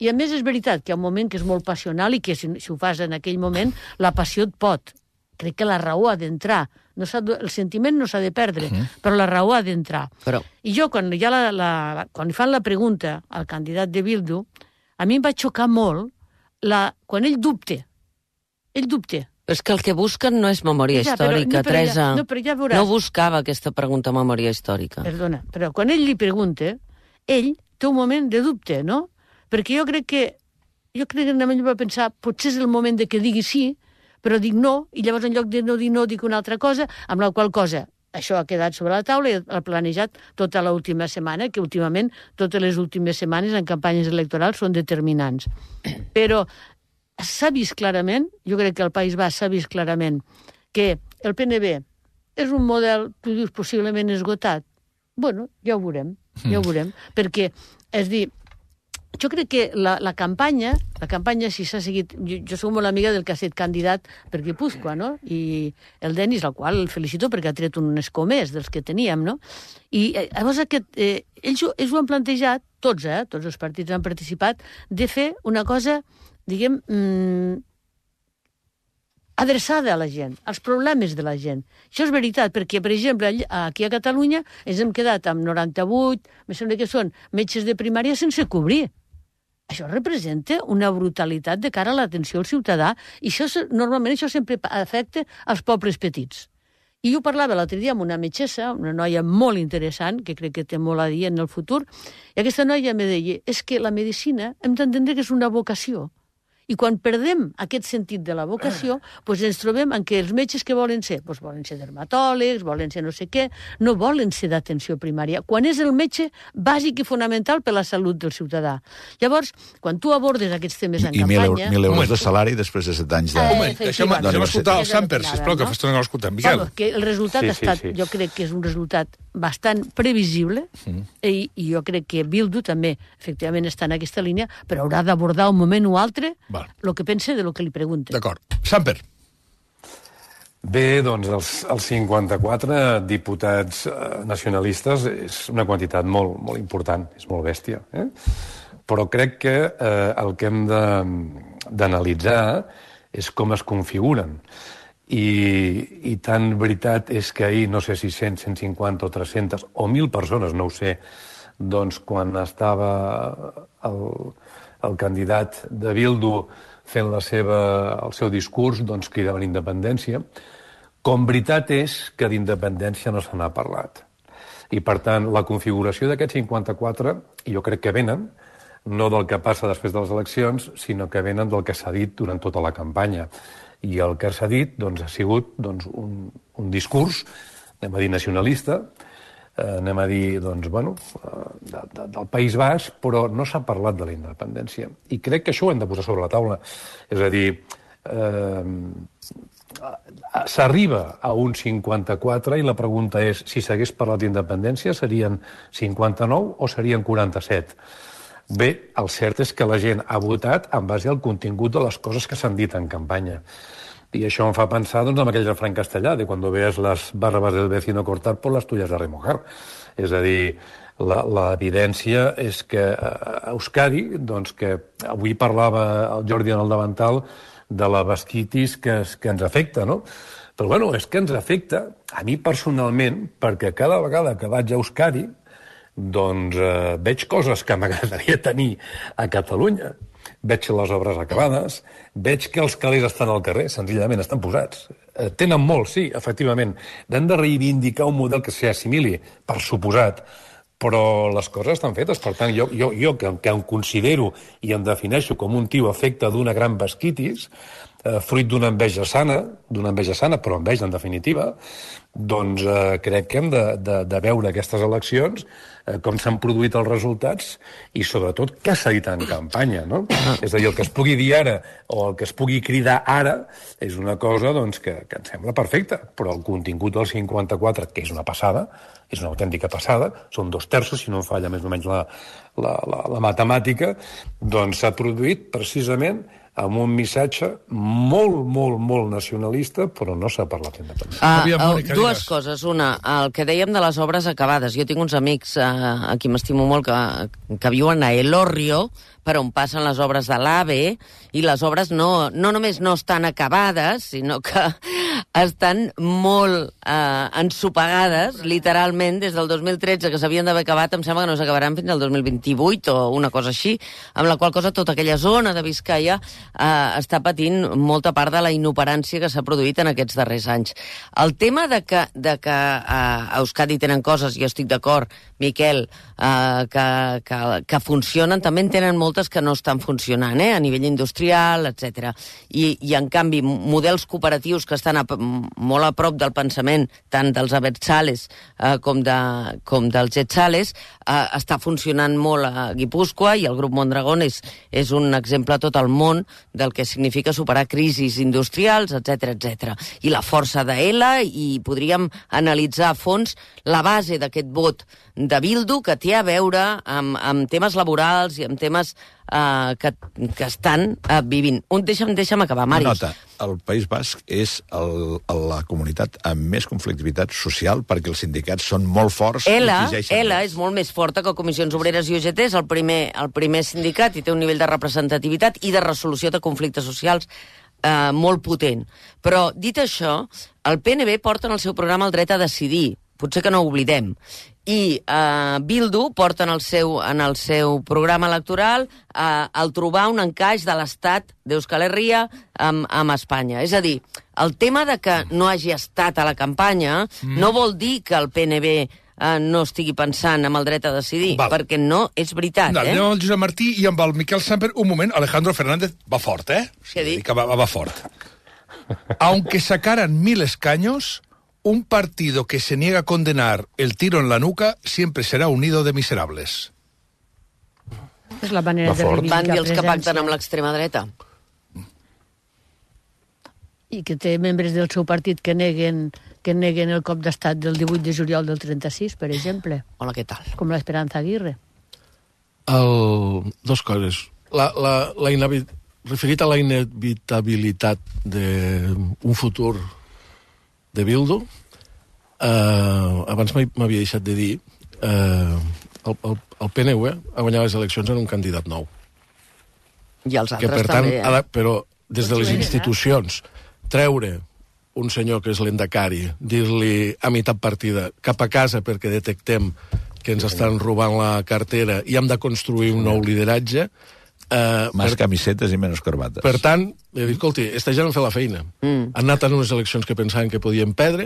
i a més és veritat que hi ha un moment que és molt passional i que si, si ho fas en aquell moment la passió et pot. Crec que la raó ha d'entrar. No el sentiment no s'ha de perdre, uh -huh. però la raó ha d'entrar. Però... I jo, quan, ja la, la, quan fan la pregunta al candidat de Bildu, a mi em va xocar molt la, quan ell dubte. Ell dubte. És que el que busquen no és memòria ja, però, històrica, no, però Teresa. Ja, no, però ja veuràs. No buscava aquesta pregunta memòria històrica. Perdona, però quan ell li pregunta, ell té un moment de dubte, no? Perquè jo crec que, jo crec que ell va pensar, potser és el moment de que digui sí, però dic no, i llavors en lloc de no dir no dic una altra cosa, amb la qual cosa això ha quedat sobre la taula i ha planejat tota l'última setmana, que últimament totes les últimes setmanes en campanyes electorals són determinants. Però s'ha vist clarament, jo crec que el País Basc s'ha vist clarament, que el P N B és un model, tu dius, possiblement esgotat. Bueno, ja ho veurem, ja ho veurem, perquè, és dir, jo crec que la, la campanya, la campanya si s'ha seguit... Jo, jo soc molt amiga del que ha estat candidat per Guipúscoa, no? I el Denis, al qual el felicito perquè ha tret un escó més dels que teníem, no? I eh, llavors aquest, eh, ells, ells ho han plantejat, tots, eh? Tots els partits han participat, de fer una cosa, diguem, mmm, adreçada a la gent, als problemes de la gent. Això és veritat, perquè, per exemple, aquí a Catalunya ens hem quedat amb noranta-vuit, me sembla que són metges de primària sense cobrir. Això representa una brutalitat de cara a l'atenció al ciutadà i això, normalment això sempre afecta als pobles petits. I jo parlava l'altre dia amb una metgessa, una noia molt interessant, que crec que té molt a dir en el futur, i aquesta noia me deia, és que la medicina hem d'entendre que és una vocació. I quan perdem aquest sentit de la vocació, doncs ens trobem en què els metges que volen ser, doncs volen ser dermatòlegs, volen ser no sé què, no volen ser d'atenció primària, quan és el metge bàsic i fonamental per la salut del ciutadà. Llavors, quan tu abordes aquests temes en I, campanya... I mil euros de salari després de set anys de... Un moment, deixem, deixem escoltar el Samper, sisplau, que fa estona que l'escoltem. Miquel. Bueno, que el resultat Sí, ha sí, estat, sí. jo crec que és un resultat bastant previsible, mm. i, i jo crec que Bildu també, efectivament, està en aquesta línia, però haurà d'abordar un moment o altre el que pensa de lo que li pregunten. D'acord. Samper. Bé, doncs els, els cinquanta-quatre diputats eh, nacionalistes és una quantitat molt, molt important, és molt bèstia. Eh? Però crec que eh, el que hem d'analitzar és com es configuren. I, i tan veritat és que ahir, no sé si cent, cent cinquanta o tres-centes o mil persones, no ho sé, doncs quan estava el, el candidat de Bildu fent la seva, el seu discurs, doncs cridaven independència. Com veritat és que d'independència no se n'ha parlat. I, per tant, la configuració d'aquests cinquanta-quatre, jo crec que venen, no del que passa després de les eleccions, sinó que venen del que s'ha dit durant tota la campanya. I el que s'ha dit doncs, ha sigut doncs, un, un discurs, anem a dir nacionalista, eh, anem a dir doncs, bueno, de, de, del País Basc, però no s'ha parlat de la independència. I crec que això ho hem de posar sobre la taula. És a dir, eh, s'arriba a un cinquanta-quatre i la pregunta és si s'hagués parlat d'independència serien cinquanta-nou o serien quaranta-set? Bé, el cert és que la gent ha votat en base al contingut de les coses que s'han dit en campanya. I això em fa pensar doncs, en aquell refrany castellà de quan veas las barbas del vecino cortar por las tuyas de remojar. És a dir, l'evidència és que a Euskadi, doncs que avui parlava el Jordi en el davantal de la vasquitis que, que ens afecta, no? Però bueno, és que ens afecta a mi personalment, perquè cada vegada que vaig a Euskadi doncs eh, veig coses que m'agradaria tenir a Catalunya. Veig les obres acabades, veig que els calés estan al carrer, senzillament estan posats. Eh, tenen molt, sí, efectivament. Hem de reivindicar un model que s'hi assimili, per suposat, però les coses estan fetes. Per tant, jo, jo, jo que, que em considero i em defineixo com un tio afecte d'una gran vasquitis, eh, fruit d'una enveja sana, d'una enveja sana, però enveja en definitiva, doncs eh, crec que hem de, de, de veure aquestes eleccions, eh, com s'han produït els resultats i sobretot què s'ha dit en campanya, no? És a dir, el que es pugui dir ara o el que es pugui cridar ara és una cosa doncs, que, que em sembla perfecta, però el contingut del cinquanta-quatre, que és una passada, és una autèntica passada, són dos terços, si no em falla més o menys la, la, la, la matemàtica, doncs s'ha produït precisament amb un missatge molt, molt, molt nacionalista, però no s'ha parlat d'independència. Uh, uh, dues coses. Una, el que dèiem de les obres acabades. Jo tinc uns amics uh, a qui m'estimo molt que, que viuen a Elorrio, per on passen les obres de l'AVE, i les obres no, no només no estan acabades, sinó que estan molt eh, ensopegades, literalment, des del dos mil tretze, que s'havien d'haver acabat, em sembla que no s'acabaran fins al dos mil vint-i-vuit o una cosa així, amb la qual cosa tota aquella zona de Biscaia eh, està patint molta part de la inoperància que s'ha produït en aquests darrers anys. El tema de que, de que eh, a Euskadi tenen coses, jo estic d'acord, Miquel, eh, que, que, que funcionen, també en tenen moltes que no estan funcionant, eh, a nivell industrial, etcètera. I, I, en canvi, models cooperatius que estan a, molt a prop del pensament, tant dels Abertzales eh, com, de, com dels Getzales, eh, està funcionant molt a Guipúscoa, i el grup Mondragón és, és un exemple a tot el món del que significa superar crisis industrials, etcètera, etcètera. I la força d'Ela, i podríem analitzar a fons la base d'aquest vot de Bildu, que té a veure amb, amb temes laborals i amb temes uh, que, que estan uh, vivint. Un, deixa'm, deixa'm acabar, Màrius. Nota, el País Basc és el, la comunitat amb més conflictivitat social perquè els sindicats són molt forts. Ela, Ela és molt més forta que Comissions Obreres i U G T, és el primer, el primer sindicat i té un nivell de representativitat i de resolució de conflictes socials uh, molt potent. Però, dit això, el P N B porta en el seu programa el dret a decidir, potser que no ho oblidem, i eh, Bildu porta en el seu, en el seu programa electoral eh, el trobar un encaix de l'estat d'Euskal Herria amb, amb Espanya. És a dir, el tema de que no hagi estat a la campanya mm. no vol dir que el P N B eh, no estigui pensant en el dret a decidir, Val. perquè no és veritat. No, eh? anem amb el Josep Martí i amb el Miquel Samper. Un moment, Alejandro Fernández va fort, eh? Què ha dit? Que va, va fort. Aunque sacaran mil escaños, un partido que se niega a condenar el tiro en la nuca siempre será un nido de miserables. És la manera de reivindicar Van dir els que presència. pacten amb l'extrema dreta. I que té membres del seu partit que neguen, que neguen el cop d'estat del divuit de juliol del trenta-sis, per exemple. Hola, què tal? Com l'Esperanza Aguirre. El... Dos coses. La, la, la inavi... Referit a la inevitabilitat d'un futur de Bildu, eh, abans m'havia deixat de dir, eh, el, el, el P N U ha guanyat les eleccions en un candidat nou. I els altres que, per tant, també, eh? ha de, però des de les institucions, treure un senyor que és l'endacari, dir-li a meitat partida cap a casa perquè detectem que ens estan robant la cartera i hem de construir un nou lideratge. Uh, Més per, camisetes i menys corbates. Per tant, he dit, escolti, esta gent han fet la feina. Mm. Han anat en unes eleccions que pensaven que podien perdre,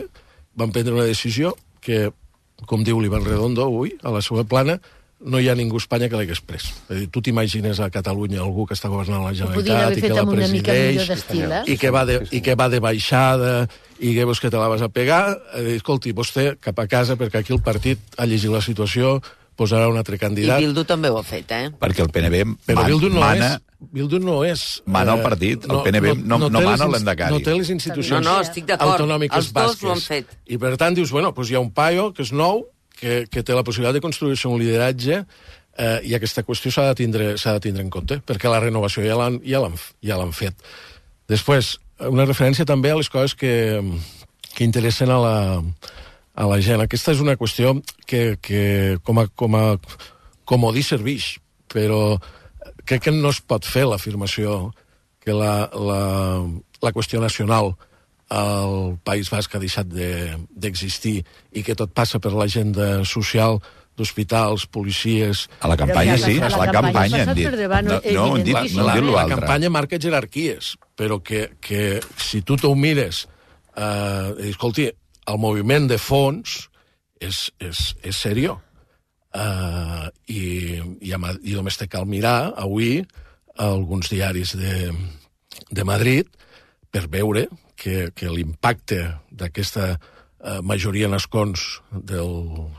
van prendre una decisió que, com diu l'Ivan Redondo avui, a la seva plana, no hi ha ningú a Espanya que l'hagués pres. És dir, tu t'imagines a Catalunya algú que està governant la Generalitat i que la presideix i que, va de, i que va de baixada i que vos que te la vas a pegar, dir, escolti, vostè cap a casa perquè aquí el partit ha llegit la situació, posarà un altre candidat. I Bildu també ho ha fet, eh? Perquè el P N B Però man, Bildu no mana... És, Bildu no és... Mana el partit, el P N B no, no, no mana l'endacari. No té les institucions no, no, estic d'acord. autonòmiques Els dos basques. ho han fet. I per tant dius, bueno, doncs hi ha un paio que és nou, que, que té la possibilitat de construir-se un lideratge, eh, i aquesta qüestió s'ha de, tindre, s'ha de tindre en compte, perquè la renovació ja l'han ja l'han ja l'han fet. Després, una referència també a les coses que, que interessen a la, a la gent. Aquesta és una qüestió que, que com a, com a comodí serveix, però crec que no es pot fer l'afirmació que la, la, la qüestió nacional al País Basc ha deixat d'existir de, i que tot passa per l'agenda social d'hospitals, policies... A la campanya sí, a la campanya han dit. No, no han dit, no han dit l'altre. La campanya marca jerarquies, però que, que si tu t'ho mires, eh, escolti, el moviment de fons és, és, és seriós. Uh, i, i, a, i només te cal mirar avui alguns diaris de, de Madrid per veure que, que l'impacte d'aquesta uh, majoria en escons del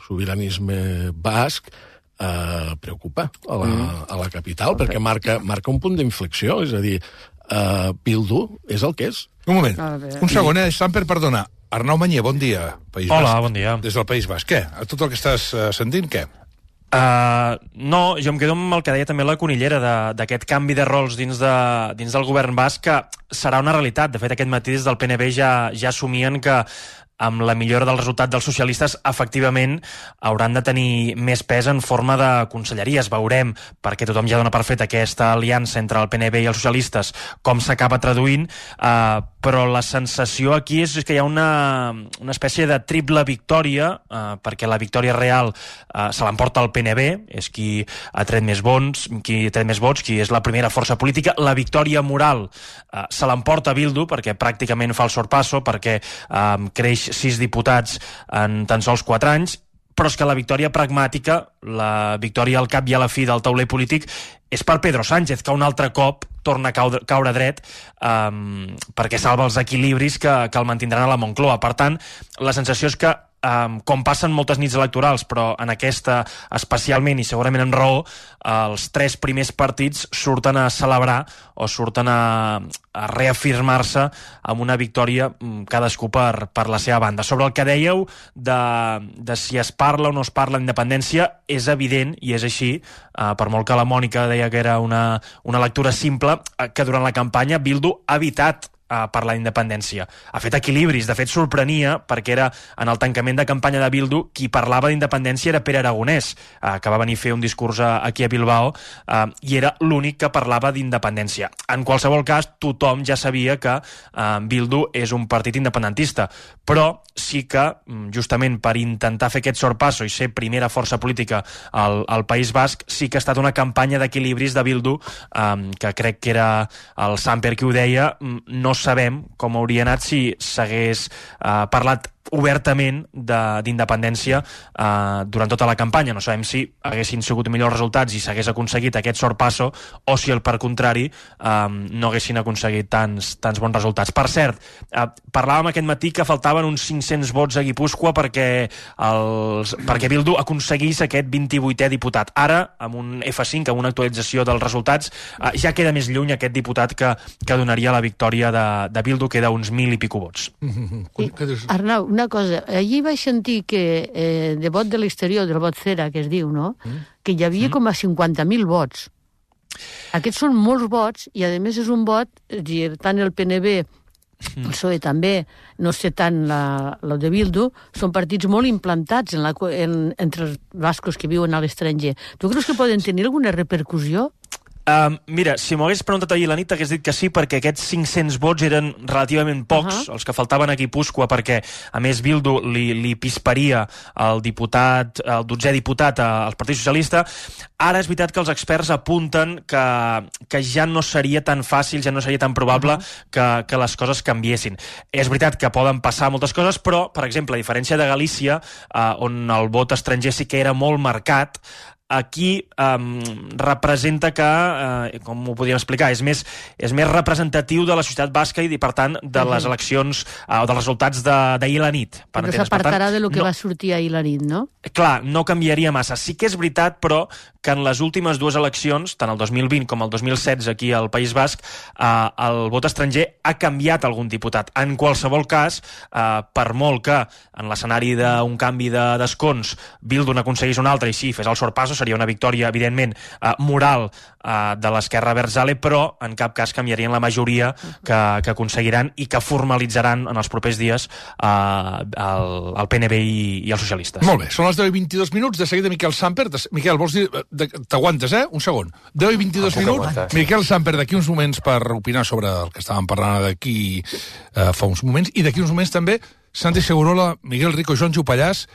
sobiranisme basc uh, preocupa a la, mm. a la capital, perquè marca, marca un punt d'inflexió, és a dir, uh, Bildu és el que és. Un moment, un segon, eh, Samper, perdona. Arnau Mañé, bon dia. País Hola, Basc. bon dia. Des del País Basc. Què? A tot el que estàs uh, sentint, què? Uh, no, jo em quedo amb el que deia també la Conillera, d'aquest canvi de rols dins, de, dins del govern basc, que serà una realitat. De fet, aquest matí des del P N B ja, ja assumien que amb la millora del resultat dels socialistes, efectivament, hauran de tenir més pes en forma de conselleries. Veurem, perquè tothom ja dona per fet aquesta aliança entre el P N B i els socialistes, com s'acaba traduint, eh, però la sensació aquí és que hi ha una, una espècie de triple victòria, eh, perquè la victòria real eh, se l'emporta el P N B, és qui ha tret més vots, qui ha tret més vots, qui és la primera força política. La victòria moral eh, se l'emporta Bildu, perquè pràcticament fa el sorpasso, perquè eh, creix sis diputats en tan sols quatre anys, però és que la victòria pragmàtica, la victòria al cap i a la fi del tauler polític, és per Pedro Sánchez, que un altre cop torna a caure, caure dret um, perquè salva els equilibris que, que el mantindran a la Moncloa. Per tant, la sensació és que Um, com passen moltes nits electorals, però en aquesta especialment i segurament amb raó, els tres primers partits surten a celebrar o surten a, a reafirmar-se amb una victòria cadascú per, per la seva banda. Sobre el que dèieu de, de si es parla o no es parla d'independència, és evident, i és així, uh, per molt que la Mònica deia que era una, una lectura simple, uh, que durant la campanya Bildu ha evitat a parlar d'independència. Ha fet equilibris, de fet sorprenia, perquè era en el tancament de campanya de Bildu qui parlava d'independència era Pere Aragonès, eh, que va venir a fer un discurs a, aquí a Bilbao, eh, i era l'únic que parlava d'independència. En qualsevol cas, tothom ja sabia que eh, Bildu és un partit independentista, però sí que, justament per intentar fer aquest sorpasso i ser primera força política al, al País Basc, sí que ha estat una campanya d'equilibris de Bildu, eh, que crec que era el Samper qui ho deia, no sabem com hauria anat si s'hagués eh, parlat obertament d'independència eh, durant tota la campanya. No sabem si haguessin sigut millors resultats i s'hagués aconseguit aquest sorpasso o si, al per contrari, eh, no haguessin aconseguit tants, tants bons resultats. Per cert, eh, parlàvem aquest matí que faltaven uns cinc-cents vots a Guipúscoa perquè, els, perquè Bildu aconseguís aquest vint-i-vuitè diputat. Ara, amb un F cinc, amb una actualització dels resultats, eh, ja queda més lluny aquest diputat que, que donaria la victòria de, de Bildu, queda uns mil i pico vots. I, Arnau, una cosa, allí vaig sentir que eh, de vot de l'exterior, del vot cera, que es diu, no? Mm. Que hi havia mm. com a cinquanta mil vots. Aquests són molts vots i, a més, és un vot, és a dir, tant el P N B, el P S O E també, no sé tant la, la de Bildu, són partits molt implantats en la, en, entre els bascos que viuen a l'estranger. Tu creus que poden tenir alguna repercussió? Um, mira, si m'ho hagués preguntat ahir la nit hagués dit que sí, perquè aquests cinc-cents vots eren relativament pocs, uh -huh. els que faltaven a Guipúscoa, perquè a més Bildu li, li pisparia el diputat, el dotzè diputat al Partit Socialista. Ara és veritat que els experts apunten que, que ja no seria tan fàcil, ja no seria tan probable uh -huh. que, que les coses canviessin. És veritat que poden passar moltes coses, però, per exemple, a diferència de Galícia, eh, on el vot estranger sí que era molt marcat, aquí um, representa que, uh, com ho podríem explicar, és més, és més representatiu de la societat basca i, per tant, de uh -huh. les eleccions o uh, dels resultats d'ahir a la nit. Perquè s'apartarà de lo que no, va sortir ahir a la nit, no? Clar, no canviaria massa. Sí que és veritat, però, que en les últimes dues eleccions, tant el dos mil vint com el dos mil setze aquí al País Basc, uh, el vot estranger ha canviat algun diputat. En qualsevol cas, uh, per molt que en l'escenari d'un canvi d'escons de, Bildu n'aconseguís un altre i sí, fes el sorpasso, seria una victòria, evidentment, eh, moral eh, de l'esquerra Berzale, però en cap cas canviarien la majoria que, que aconseguiran i que formalitzaran en els propers dies eh, el, el P N B i, i els socialistes. Molt bé, són les deu i vint-i-dos minuts, de seguida Miquel Samper. De... Miquel, vols dir... T'aguantes, eh? Un segon. deu i vint-i-dos ah, minuts. Aguantar. Miquel Samper, d'aquí uns moments per opinar sobre el que estàvem parlant d'aquí eh, fa uns moments, i d'aquí uns moments també Santi Segurola, Miguel Rico, Joan Jupallàs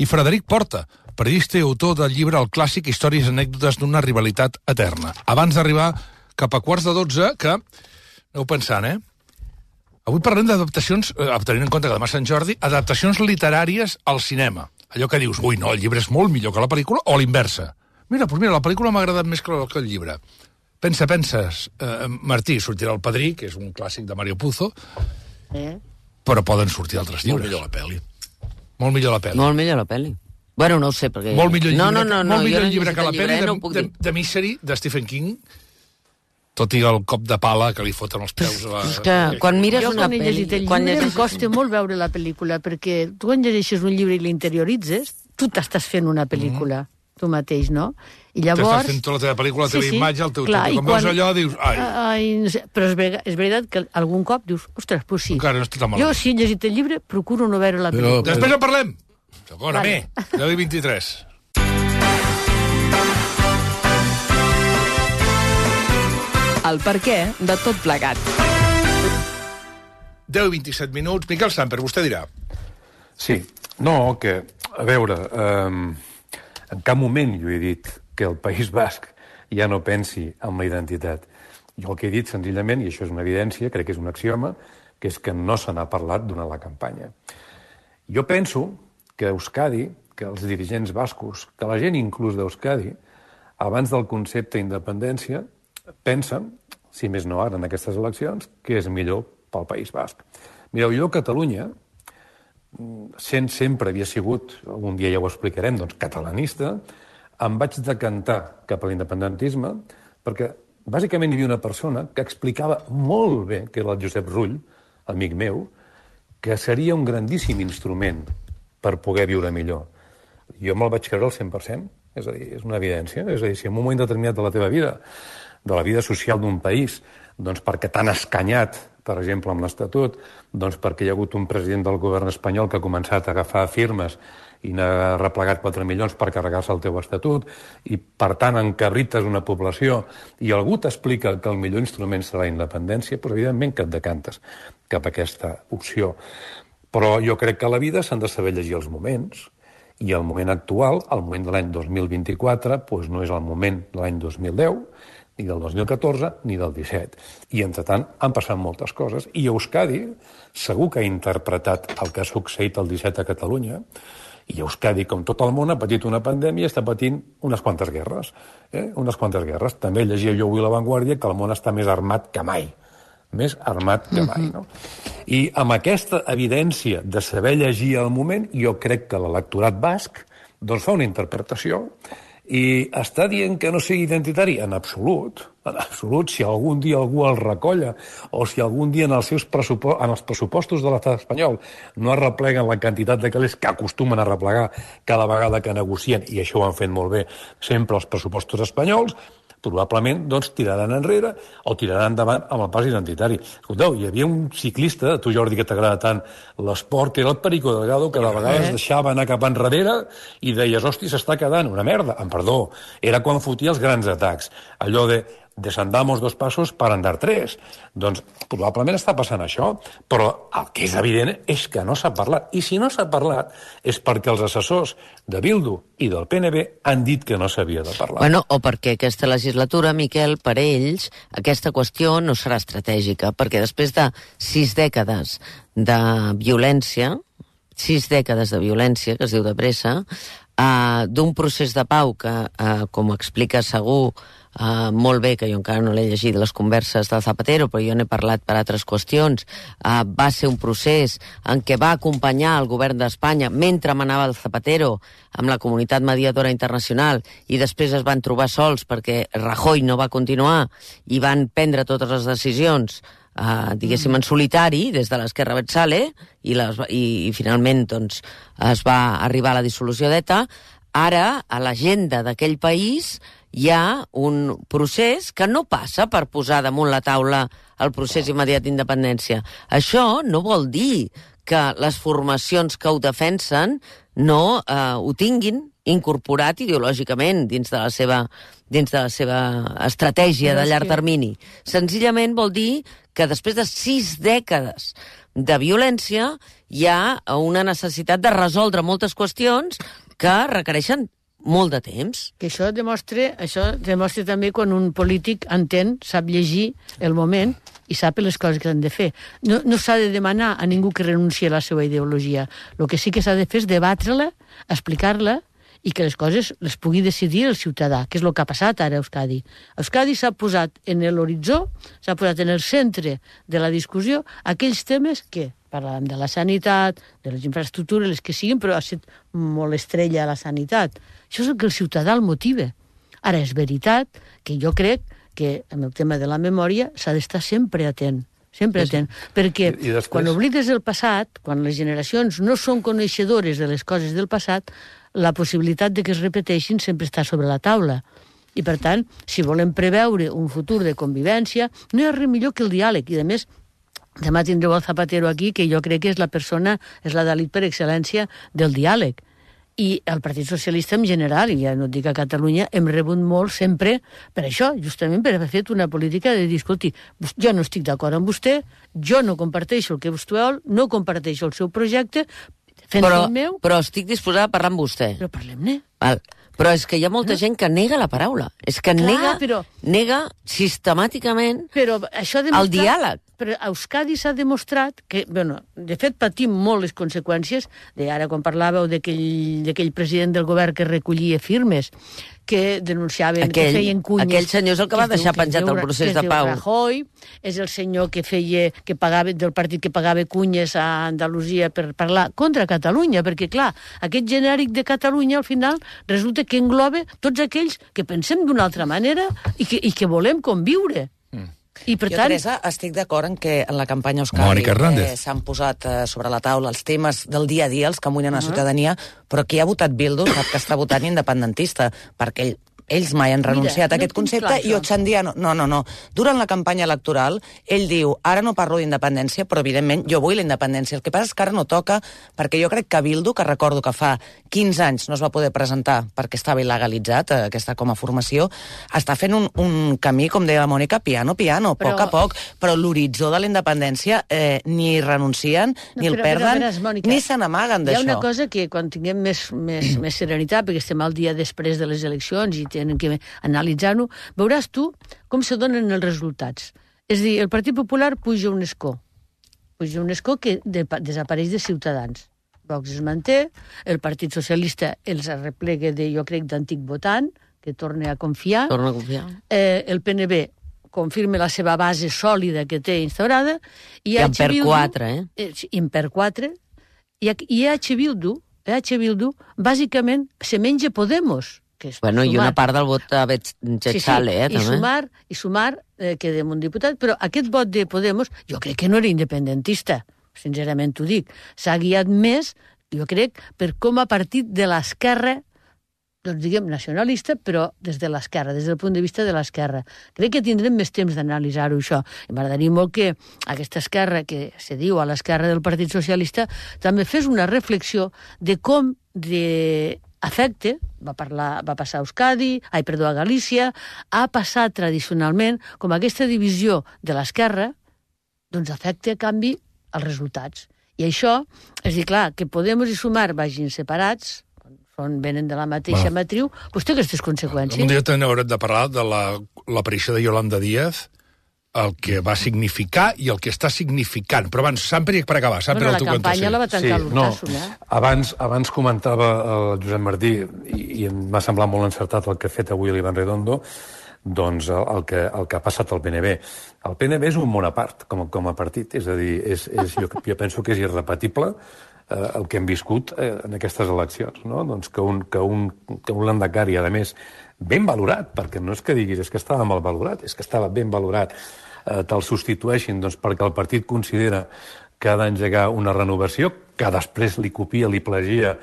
i Frederic Porta, periodista i autor del llibre El clàssic, històries i anècdotes d'una rivalitat eterna. Abans d'arribar cap a quarts de dotze, que aneu pensant, eh? Avui parlem d'adaptacions, eh, tenint en compte que demà Sant Jordi, adaptacions literàries al cinema. Allò que dius, ui, no, el llibre és molt millor que la pel·lícula, o l'inversa. Mira, doncs mira, la pel·lícula m'ha agradat més que el llibre. Pensa, penses, eh, Martí, sortirà El Padrí, que és un clàssic de Mario Puzo, eh? Però poden sortir altres llibres. Molt millor la pel·li. Molt millor la pel·li. Molt millor la pel·li. Bueno, no ho sé, perquè... Molt millor llibre, no, no, no, no, molt millor no llibre que la pel·li de, no de, de Misery, de Stephen King, tot i el cop de pala que li foten els peus a la... És que quan mires jo, una pel·li... Jo quan he llegit el llibre llegeixes... em costa molt veure la pel·lícula, perquè tu quan llegeixes un llibre i l'interioritzes, tu t'estàs fent una pel·lícula, mm. tu mateix, no? I llavors... T'estàs fent tota la teva pel·lícula, la teva sí, sí, imatge, el teu... clar, teu quan veus allò, dius... Ai, ai no sé, però és, ver és veritat que algun cop dius, ostres, pues sí. Encara no està tan jo, si he llegit el llibre, procuro no veure la pel·lícula. Però... Després en parlem! Segona, vale. mi, deu i vint-i-tres. El perquè de tot plegat. deu i vint-i-set minuts. Miquel Samper, vostè dirà. Sí, no, que, a veure, eh, en cap moment jo he dit que el País Basc ja no pensi en la identitat. Jo el que he dit, senzillament, i això és una evidència, crec que és un axioma, que és que no se n'ha parlat durant la campanya. Jo penso que Euskadi, que els dirigents bascos, que la gent inclús d'Euskadi, abans del concepte d'independència, pensen, si més no ara en aquestes eleccions, que és millor pel País Basc. Mireu, jo a Catalunya, sent sempre havia sigut, algun dia ja ho explicarem, doncs catalanista, em vaig decantar cap a l'independentisme perquè bàsicament hi havia una persona que explicava molt bé, que era el Josep Rull, amic meu, que seria un grandíssim instrument per poder viure millor. Jo me'l vaig creure al cent per cent, és a dir, és una evidència. És a dir, si en un moment determinat de la teva vida, de la vida social d'un país, doncs perquè t'han escanyat, per exemple, amb l'Estatut, doncs perquè hi ha hagut un president del govern espanyol que ha començat a agafar firmes i n'ha replegat quatre milions per carregar-se el teu estatut, i per tant encabrites una població, i algú t'explica que el millor instrument serà la independència, doncs evidentment que et decantes cap a aquesta opció. Però jo crec que a la vida s'han de saber llegir els moments, i el moment actual, el moment de l'any dos mil vint-i-quatre, doncs no és el moment de l'any dos mil deu, ni del dos mil catorze, ni del disset. I, entretant, han passat moltes coses. I Euskadi segur que ha interpretat el que ha succeït el disset a Catalunya, i Euskadi, com tot el món, ha patit una pandèmia i està patint unes quantes guerres. Eh? Unes quantes guerres. També llegia jo avui a La Vanguardia que el món està més armat que mai. Més armat que mai, no? I amb aquesta evidència de saber llegir el moment, jo crec que l'electorat basc doncs fa una interpretació i està dient que no sigui identitari? En absolut. En absolut. Si algun dia algú el recolla o si algun dia en els seus pressupostos, en els pressupostos de l'estat espanyol no es repleguen la quantitat de calés que acostumen a replegar cada vegada que negocien, i això ho han fet molt bé sempre els pressupostos espanyols, probablement doncs, tiraran enrere o tiraran endavant amb el pas identitari. Escolteu, hi havia un ciclista, a tu Jordi, que t'agrada tant l'esport, que era el Perico Delgado, que de vegades deixava anar cap enrere i deies, hosti, s'està quedant una merda. Em perdó, era quan fotia els grans atacs. Allò de desandamos dos passos per andar tres. Doncs probablement està passant això, però el que és evident és que no s'ha parlat. I si no s'ha parlat és perquè els assessors de Bildu i del P N B han dit que no s'havia de parlar. Bueno, o perquè aquesta legislatura, Miquel, per ells, aquesta qüestió no serà estratègica, perquè després de sis dècades de violència, sis dècades de violència, que es diu de pressa, eh, d'un procés de pau que, eh, com explica segur, Uh, molt bé, que jo encara no l'he llegit les converses del Zapatero, però jo n'he parlat per altres qüestions, uh, va ser un procés en què va acompanyar el govern d'Espanya mentre manava el Zapatero amb la comunitat mediadora internacional, i després es van trobar sols perquè Rajoy no va continuar i van prendre totes les decisions Uh, diguéssim, en solitari, des de l'esquerra Abertzale, i, les, i, i finalment doncs, es va arribar a la dissolució d'ETA. Ara, a l'agenda d'aquell país hi ha un procés que no passa per posar damunt la taula el procés immediat d'independència. Això no vol dir que les formacions que ho defensen no eh, ho tinguin incorporat ideològicament dins de la seva, dins de la seva estratègia de llarg termini. Senzillament vol dir que després de sis dècades de violència hi ha una necessitat de resoldre moltes qüestions que requereixen molt de temps. Que això demostra, això demostra també quan un polític entén, sap llegir el moment i sap les coses que han de fer. No, no s'ha de demanar a ningú que renunciï a la seva ideologia. El que sí que s'ha de fer és debatre-la, explicar-la, i que les coses les pugui decidir el ciutadà, que és el que ha passat ara a Euskadi. Euskadi s'ha posat en l'horitzó, s'ha posat en el centre de la discussió aquells temes que parlàvem de la sanitat, de les infraestructures, les que siguin, però ha estat molt estrella a la sanitat. Això és el que el ciutadà el motiva. Ara, és veritat que jo crec que en el tema de la memòria s'ha d'estar sempre atent, sempre atent, perquè I, i després... quan oblides el passat, quan les generacions no són coneixedores de les coses del passat, la possibilitat de que es repeteixin sempre està sobre la taula. I, per tant, si volem preveure un futur de convivència, no hi ha res millor que el diàleg. I, a més, demà tindreu el Zapatero aquí, que jo crec que és la persona, és la d'elit per excel·lència del diàleg. I el Partit Socialista en general, i ja no et dic a Catalunya, hem rebut molt sempre per això, justament per haver fet una política de dir, escolti, jo no estic d'acord amb vostè, jo no comparteixo el que vostè vol, no comparteixo el seu projecte, però, meu... però estic disposada a parlar amb vostè. Però parlem-ne. Val. Però és que hi ha molta no? gent que nega la paraula. És que Clar, nega, però... nega sistemàticament però això demostrat... el diàleg. Però a Euskadi s'ha demostrat que, bueno, de fet patim molt les conseqüències de ara quan parlàveu d'aquell president del govern que recollia firmes, que denunciaven, aquell, que feien cunyes... Aquell senyor és el que, que va deixar diu, penjat el procés de pau. Rajoy, és el senyor que feia, que pagava, del partit que pagava cunyes a Andalusia per parlar contra Catalunya, perquè, clar, aquest genèric de Catalunya, al final, resulta que engloba tots aquells que pensem d'una altra manera i que, i que volem conviure. Mm. I per jo, tant... Teresa, estic d'acord en que en la campanya Euskadi eh, s'han posat eh, sobre la taula els temes del dia a dia, els que amunyen a la ciutadania, però qui ha votat Bildu sap que està votant independentista, perquè ell ells mai han renunciat Mira, a aquest no concepte clar, i Otxandiano... No, no, no. Durant la campanya electoral, ell diu, ara no parlo d'independència, però evidentment jo vull la independència. El que passa és que ara no toca, perquè jo crec que Bildu, que recordo que fa quinze anys no es va poder presentar perquè estava il·legalitzat, eh, aquesta com a formació, està fent un, un camí, com deia la Mònica, piano, piano, però... poc a poc, però l'horitzó de la independència eh, ni renuncien, no, ni el però, perden, però, veràs, Mònica, ni se n'amaguen d'això. Hi ha una cosa que quan tinguem més, més, més serenitat, perquè estem al dia després de les eleccions i tenen que analitzar-ho, veuràs tu com se donen els resultats. És a dir, el Partit Popular puja un escó. Puja un escó que de, desapareix de Ciutadans. Vox es manté, el Partit Socialista els arreplega de, jo crec, d'antic votant, que torna a confiar. Torna a confiar. Eh, el P N B confirma la seva base sòlida que té instaurada. I, I en per quatre, eh? eh I en per quatre. I, i H. Bildu, H. Bildu, bàsicament, se menja Podemos. Que bueno, sumar. I una part del vot a Betxale, sí, sí. eh, també. I sumar, i sumar eh, queda un diputat, però aquest vot de Podemos, jo crec que no era independentista, sincerament t'ho dic. S'ha guiat més, jo crec, per com a partit de l'esquerra, doncs diguem nacionalista, però des de l'esquerra, des del punt de vista de l'esquerra. Crec que tindrem més temps d'analitzar-ho, això. I m'agradaria molt que aquesta esquerra, que se diu a l'esquerra del Partit Socialista, també fes una reflexió de com de afecte, va, parlar, va passar a Euskadi, ai, perdó, a Galícia, ha passat tradicionalment com aquesta divisió de l'esquerra, doncs afecta a canvi els resultats. I això, és dir, clar, que Podemos i Sumar vagin separats, són, venen de la mateixa Va. matriu, doncs té aquestes conseqüències. Un dia també haurem de parlar de l'aparició de Yolanda Díaz, el que va significar i el que està significant. Però abans, sempre per acabar, sempre bueno, el tu la campanya la va tancar sí, l'Urtasun, no, eh? Abans, abans comentava el Josep Martí, i, i em va semblar molt encertat el que ha fet avui l'Ivan Redondo, doncs el, el, que, el que ha passat al P N B. El P N B és un món a part, com, com a partit, és a dir, és, és, jo, jo penso que és irrepetible eh, el que hem viscut eh, en aquestes eleccions, no? Doncs que un, que un, que un landacari, a més, ben valorat, perquè no és que diguis és que estava mal valorat, és que estava ben valorat, eh, te'l substitueixin doncs, perquè el partit considera que ha d'engegar una renovació, que després li copia, li plagia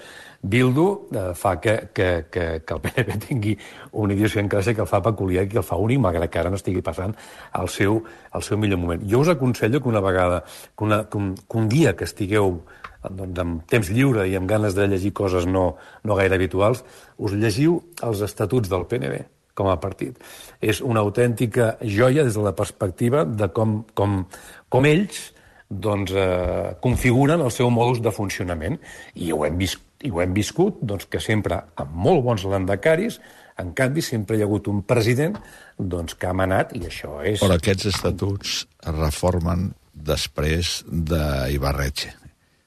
Bildu, eh, fa que, que, que, que el P N V tingui una idiosincràsia que el fa peculiar i que el fa únic, malgrat que ara no estigui passant al seu, al seu millor moment. Jo us aconsello que una vegada, que, una, que, un, que un dia que estigueu doncs, amb temps lliure i amb ganes de llegir coses no, no gaire habituals, us llegiu els estatuts del P N V com a partit. És una autèntica joia des de la perspectiva de com, com, com ells doncs, eh, configuren el seu modus de funcionament. I ho hem vist, i ho hem viscut doncs, que sempre, amb molt bons landacaris, en canvi, sempre hi ha hagut un president doncs, que ha manat, i això és... Però aquests estatuts es reformen després d'Ibarretxe.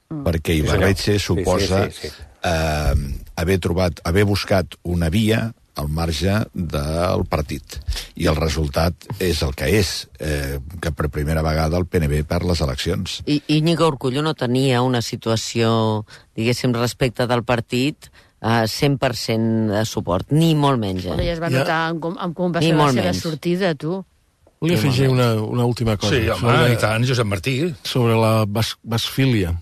Mm. Perquè Ibarretxe sí, suposa sí, sí, sí, sí. Eh, haver trobat, haver buscat una via al marge del partit. I el resultat és el que és, eh, que per primera vegada el P N V perd les eleccions. I Íñigo Urkullu no tenia una situació, diguéssim, respecte del partit uh, cent per cent de suport, ni molt menys. Eh? Ja es va notar ja. com, com va ser la seva sortida, tu. Volia afegir una, una última cosa. Sí, home, sobre, i tant, Josep Martí. Sobre la bas, basfília.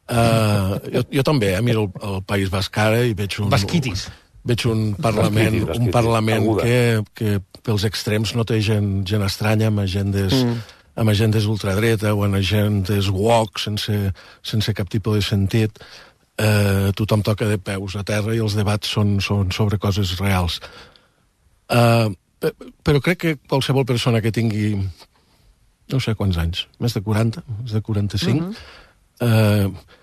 Uh, jo, jo també eh, miro el, el País Basc ara i veig un... Basquitis. Veig un parlament, basquitis, basquitis. un parlament que, que pels extrems no té gent, gent estranya, amb agendes, mm. amb agendes ultradreta o amb agendes woke, sense, sense cap tipus de sentit. Eh, tothom toca de peus a terra i els debats són, són sobre coses reals. Eh, però crec que qualsevol persona que tingui, no sé quants anys, més de quaranta, més de quaranta-cinc, mm-hmm. eh,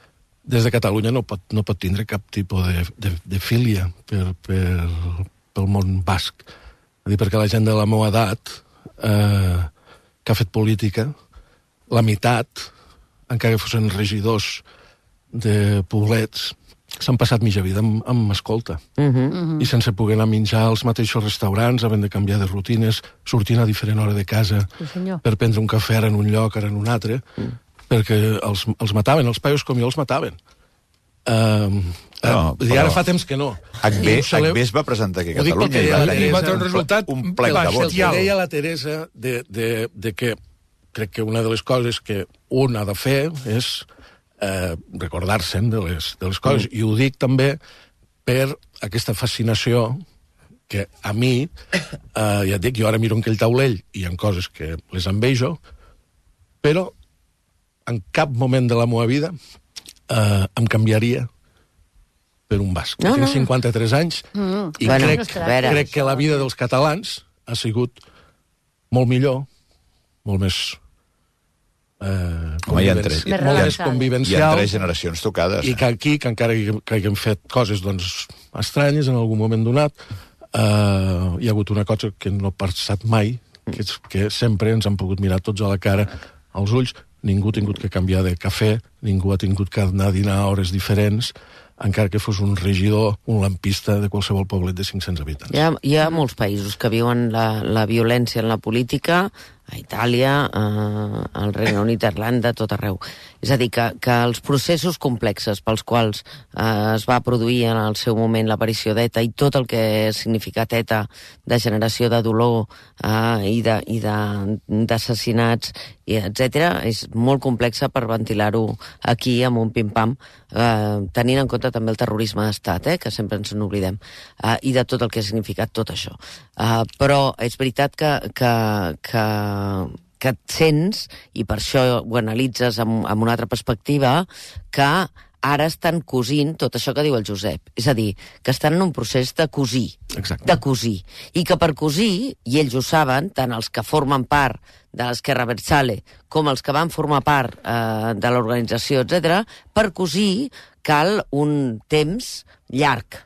des de Catalunya no pot, no pot tindre cap tipus de, de, de filia per, per, pel món basc. Dir, perquè la gent de la meva edat eh, que ha fet política, la meitat, encara que fossin regidors de poblets, s'han passat mitja vida amb, amb escolta. Uh-huh. Uh-huh. I sense poder anar a menjar als mateixos restaurants, havent de canviar de rutines, sortint a diferent hora de casa sí, per prendre un cafè ara en un lloc, ara en un altre... Uh. perquè els, els mataven, els paios com jo els mataven. Uh, no, uh, I ara fa temps que no. H B es va presentar aquí a Catalunya i va tenir un resultat un plec de vots. El que deia la Teresa de, de, de que crec que una de les coses que un ha de fer és eh, recordar-se'n de, les, de les coses. Mm. I ho dic també per aquesta fascinació que a mi, eh, ja et dic, jo ara miro aquell taulell i hi ha coses que les envejo, però en cap moment de la meva vida eh, em canviaria per un basc. No, Tinc no. cinquanta-tres anys mm. i bueno, crec, crec que la vida dels catalans ha sigut molt millor, molt més eh, convivenci... més, molt més convivencial. Hi ha tres generacions tocades. I que aquí, que encara que, que haguem fet coses doncs, estranyes en algun moment donat, eh, hi ha hagut una cosa que no ha passat mai, que és que sempre ens han pogut mirar tots a la cara, als ulls. Ningú ha tingut que canviar de cafè, ningú ha tingut que anar a dinar a hores diferents, encara que fos un regidor, un lampista de qualsevol poblet de cinc-cents habitants. Hi ha, hi ha molts països que viuen la, la violència en la política, a Itàlia, a, al Regne Unit, a Irlanda, tot arreu. És a dir, que, que els processos complexes pels quals eh, es va produir en el seu moment l'aparició d'ETA i tot el que ha significat ETA de generació de dolor eh, i d'assassinats, etcètera, és molt complexa per ventilar-ho aquí amb un pim-pam, eh, tenint en compte també el terrorisme d'estat, eh, que sempre ens n'oblidem, eh, i de tot el que ha significat tot això. Eh, però és veritat que, que, que que et sents, i per això ho analitzes amb, amb una altra perspectiva, que ara estan cosint tot això que diu el Josep. És a dir, que estan en un procés de cosir. Exacte. De cosir. I que per cosir, i ells ho saben, tant els que formen part de l'Esquerra Abertzale com els que van formar part eh, de l'organització, etcètera, per cosir cal un temps llarg.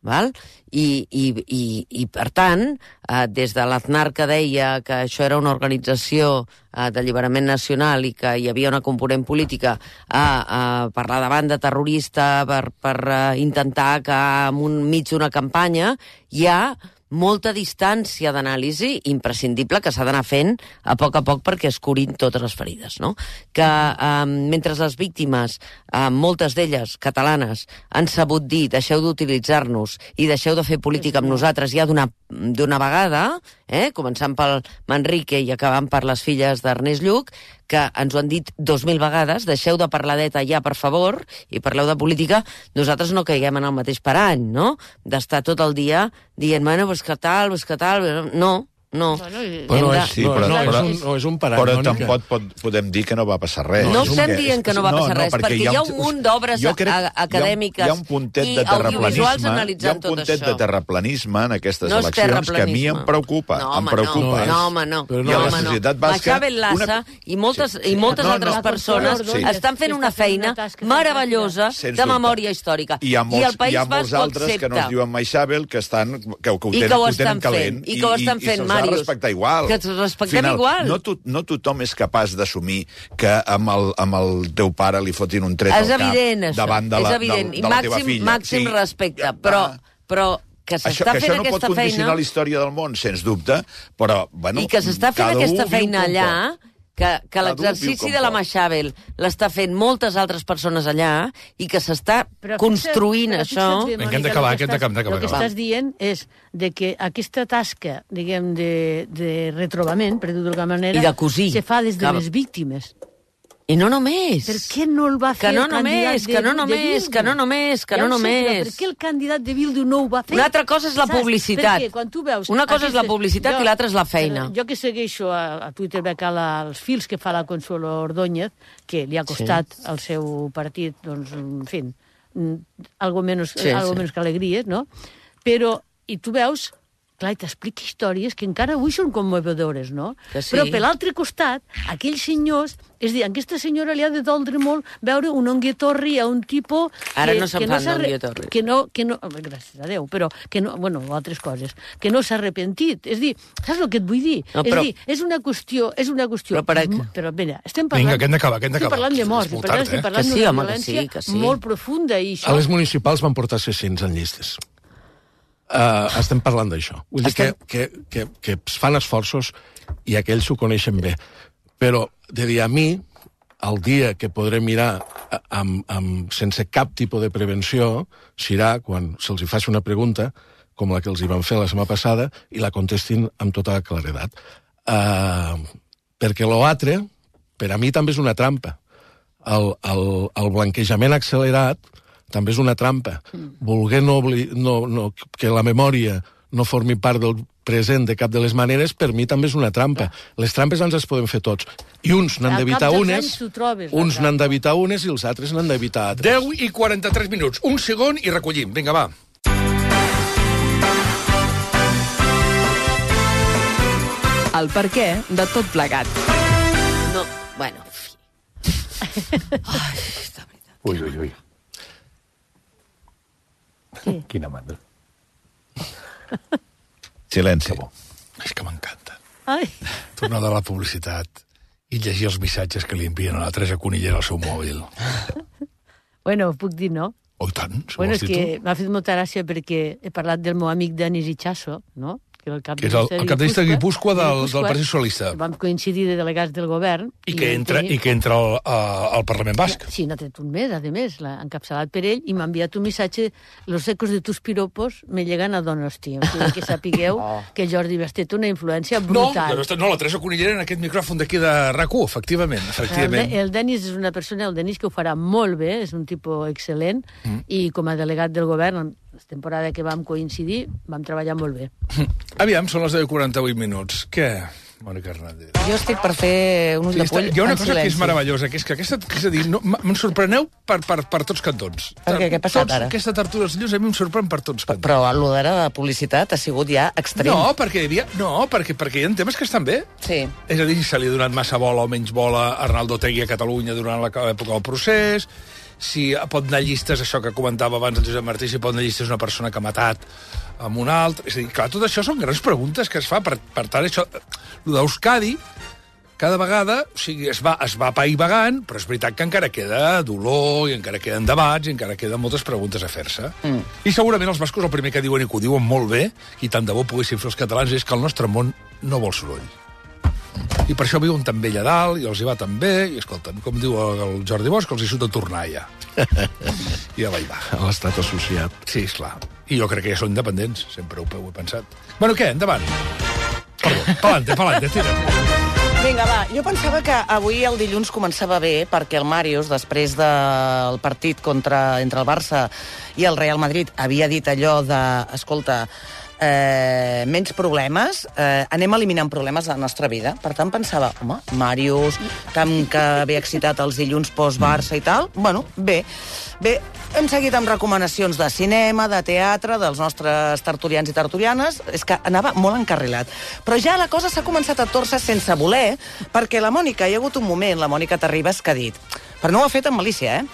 Val? I, i, i, i per tant, eh, des de l'Aznar, que deia que això era una organització eh, d'alliberament nacional i que hi havia una component política a, a parlar de banda terrorista per, per uh, intentar que en un mig d'una campanya hi ha molta distància d'anàlisi imprescindible que s'ha d'anar fent a poc a poc perquè es curin totes les ferides, no? Que eh, mentre les víctimes, eh, moltes d'elles catalanes, han sabut dir deixeu d'utilitzar-nos i deixeu de fer política amb nosaltres ja d'una d'una vegada, eh, començant pel Manrique i acabant per les filles d'Ernest Lluch, que ens ho han dit dos mil vegades, deixeu de parlar d'E T A ja, per favor, i parleu de política, nosaltres no caiguem en el mateix parany, no? D'estar tot el dia dient, bueno, pues que tal, pues que tal... No, no. Bueno, bueno de... és, sí, però, no, però, és un, no és un parany. Però tampoc pot, podem dir que no va passar res. No estem dient que no va passar no, res, no, perquè, perquè hi ha un munt d'obres acadèmiques hi ha un puntet de audiovisuals analitzant tot això. Hi ha un puntet de terraplanisme en aquestes no eleccions que a mi em preocupa. No, em preocupa. No, home, no. no, no, la societat basca... Machado Lassa i moltes, sí, sí. i moltes no, altres no, persones sí. estan fent una feina meravellosa de memòria històrica. I el País Basc ho accepta. Que no es diuen Maixabel, que ho tenen calent. I que ho estan fent, Màrius. Que ens respectem Final, igual. No, to, no tothom és capaç d'assumir que amb el, amb el teu pare li fotin un tret és al cap evident, davant de la, és evident. de, de la teva màxim, filla. Màxim sí. respecte, però, però que s'està fent això no aquesta pot condicionar feina... la història del món, sens dubte, però, bueno... I que s'està fent aquesta feina allà... que, que l'exercici de la Maixabel l'està fent moltes altres persones allà i que s'està construint però això... Bé, que hem d'acabar, que hem d'acabar. El que estàs dient és de que aquesta tasca, diguem, de, de retrobament, per dir-ho d'alguna manera, I de cosir. se fa des de que... les víctimes. I no només. Per què no el va fer que no el candidat només, de, que no només, de Bildu? Que no només, que ja no sé, només. Per què el candidat de Bildu no ho va fer? Una altra cosa és la Saps? publicitat. Perquè quan tu veus... Una cosa aquestes... és la publicitat jo, i l'altra és la feina. Jo que segueixo a, a Twitter veig els fils que fa la Consuelo Ordóñez, que li ha costat sí. al seu partit, doncs, en fi, algo menos, sí, algo sí. menos que alegries, no? Però, i tu veus... Clar, i t'explica històries que encara avui són commovedores, no? Sí. Però per l'altre costat, aquells senyors... És a dir, a aquesta senyora li ha de doldre molt veure un onguetorri a un tipus... Ara que, no se'n que fan no d'onguetorri. Que no, que no... Gràcies a Déu, però que no... Bueno, altres coses. Que no s'ha arrepentit. És a dir, saps el que et vull dir? No, però... És a dir, és una qüestió... És una qüestió... Però per què? Però, mira, estem parlant... Vinga, que hem d'acabar, que hem d'acabar. Estem parlant de morts, i per tant estem parlant sí, d'una home, violència que sí, que sí. molt profunda. I això... A les municipals van portar sis-cents en llistes. Uh, estem parlant d'això. Vull dir estem... que, que, que, que es fan esforços i aquells ho coneixen bé. Però, de dir a mi, el dia que podré mirar amb, amb, sense cap tipus de prevenció serà quan se'ls hi faci una pregunta com la que els hi van fer la setmana passada i la contestin amb tota la claredat. Uh, perquè l'altre, per a mi, també és una trampa. El, el, el blanquejament accelerat també és una trampa. Mm. Volguer no, no, no, que la memòria no formi part del present de cap de les maneres, per mi també és una trampa. Clar. Les trampes ens les podem fer tots. I uns n'han d'evitar unes, trobes, uns n'han d'evitar unes i els altres n'han d'evitar altres. deu i quaranta-tres minuts. Un segon i recollim. Vinga, va. El perquè de tot plegat. No, bueno... Ai, de veritat. Ui, ui, ui. Què? Quina mandra. Silenci. És que m'encanta. Ai. Tornar de la publicitat i llegir els missatges que li envien a la Teresa Conillera al seu mòbil. Bueno, puc dir no? Oh, i tant, si bueno, vols és dir que tu. m'ha fet molta gràcia perquè he parlat del meu amic Denis Ichazo, no? Que, el cap que és el, el cap de llista de Guipúscoa del, del Partit Socialista. Vam coincidir de delegats del govern. I que entra, i que entra al, al Parlament Basc. Sí, n'ha tret un mes, a més, l'ha encapçalat per ell, i m'ha enviat un missatge: los ecos de tus piropos me llegan a Donosti. O sigui, que sapigueu oh. que Jordi Basté té una influència brutal. No, no, la Teresa Conillera en aquest micròfon d'aquí de RAC u, efectivament. efectivament. El, el Denis és una persona, el Denis que ho farà molt bé, és un tipus excel·lent, mm. i com a delegat del govern, la temporada que vam coincidir, vam treballar molt bé. Aviam, són les deu i quaranta-vuit minuts. Què, Mònica Hernández? Jo estic per fer un ull sí, de poll en silenci. Hi ha una cosa que és meravellosa, que és que aquesta... Que és a dir, no, me'n sorpreneu per, per, per tots cantons. Per què? Què ha passat tots, ara? Aquesta tertúlia dels llums a mi em sorprèn per tots cantons. Però el d'ara de publicitat ha sigut ja extrem. No, perquè hi havia... No, perquè, perquè hi ha temes que estan bé. Sí. És a dir, si se li ha donat massa bola o menys bola a Arnaldo Otegi a Catalunya durant l'època del procés, si pot anar llistes, això que comentava abans el Josep Martí, si pot anar llistes una persona que ha matat amb un altre... És a dir, clar, tot això són grans preguntes que es fa. Per, per tant, això... El d'Euskadi, cada vegada, o sigui, es va, es va apaivagant, però és veritat que encara queda dolor, i encara queden debats, i encara queden moltes preguntes a fer-se. Mm. I segurament els bascos el primer que diuen, i que ho diuen molt bé, i tant de bo poguessin fer els catalans, és que el nostre món no vol soroll. I per això viuen tan bé allà dalt, i els hi va tan bé, i escolta'm, com diu el Jordi Bosch, els hi surt a tornar ja. I allà hi va. A l'estat associat. Sí, esclar. I jo crec que ja són independents, sempre ho, ho he pensat. Bueno, què? Endavant. Perdó, pa'lante, pa'lante, tira. Vinga, va, jo pensava que avui el dilluns començava bé perquè el Màrius, després del partit contra, entre el Barça i el Real Madrid, havia dit allò de, escolta, eh, menys problemes, eh, anem eliminant problemes de la nostra vida. Per tant, pensava, home, Màrius, tant que ve excitat els dilluns post-Barça i tal, bueno, bé. Bé, hem seguit amb recomanacions de cinema, de teatre, dels nostres tertulians i tertulianes. És que anava molt encarrilat. Però ja la cosa s'ha començat a torçar sense voler, perquè la Mònica, hi ha hagut un moment, la Mònica Terribas, que ha dit, però no ho ha fet amb malícia, eh?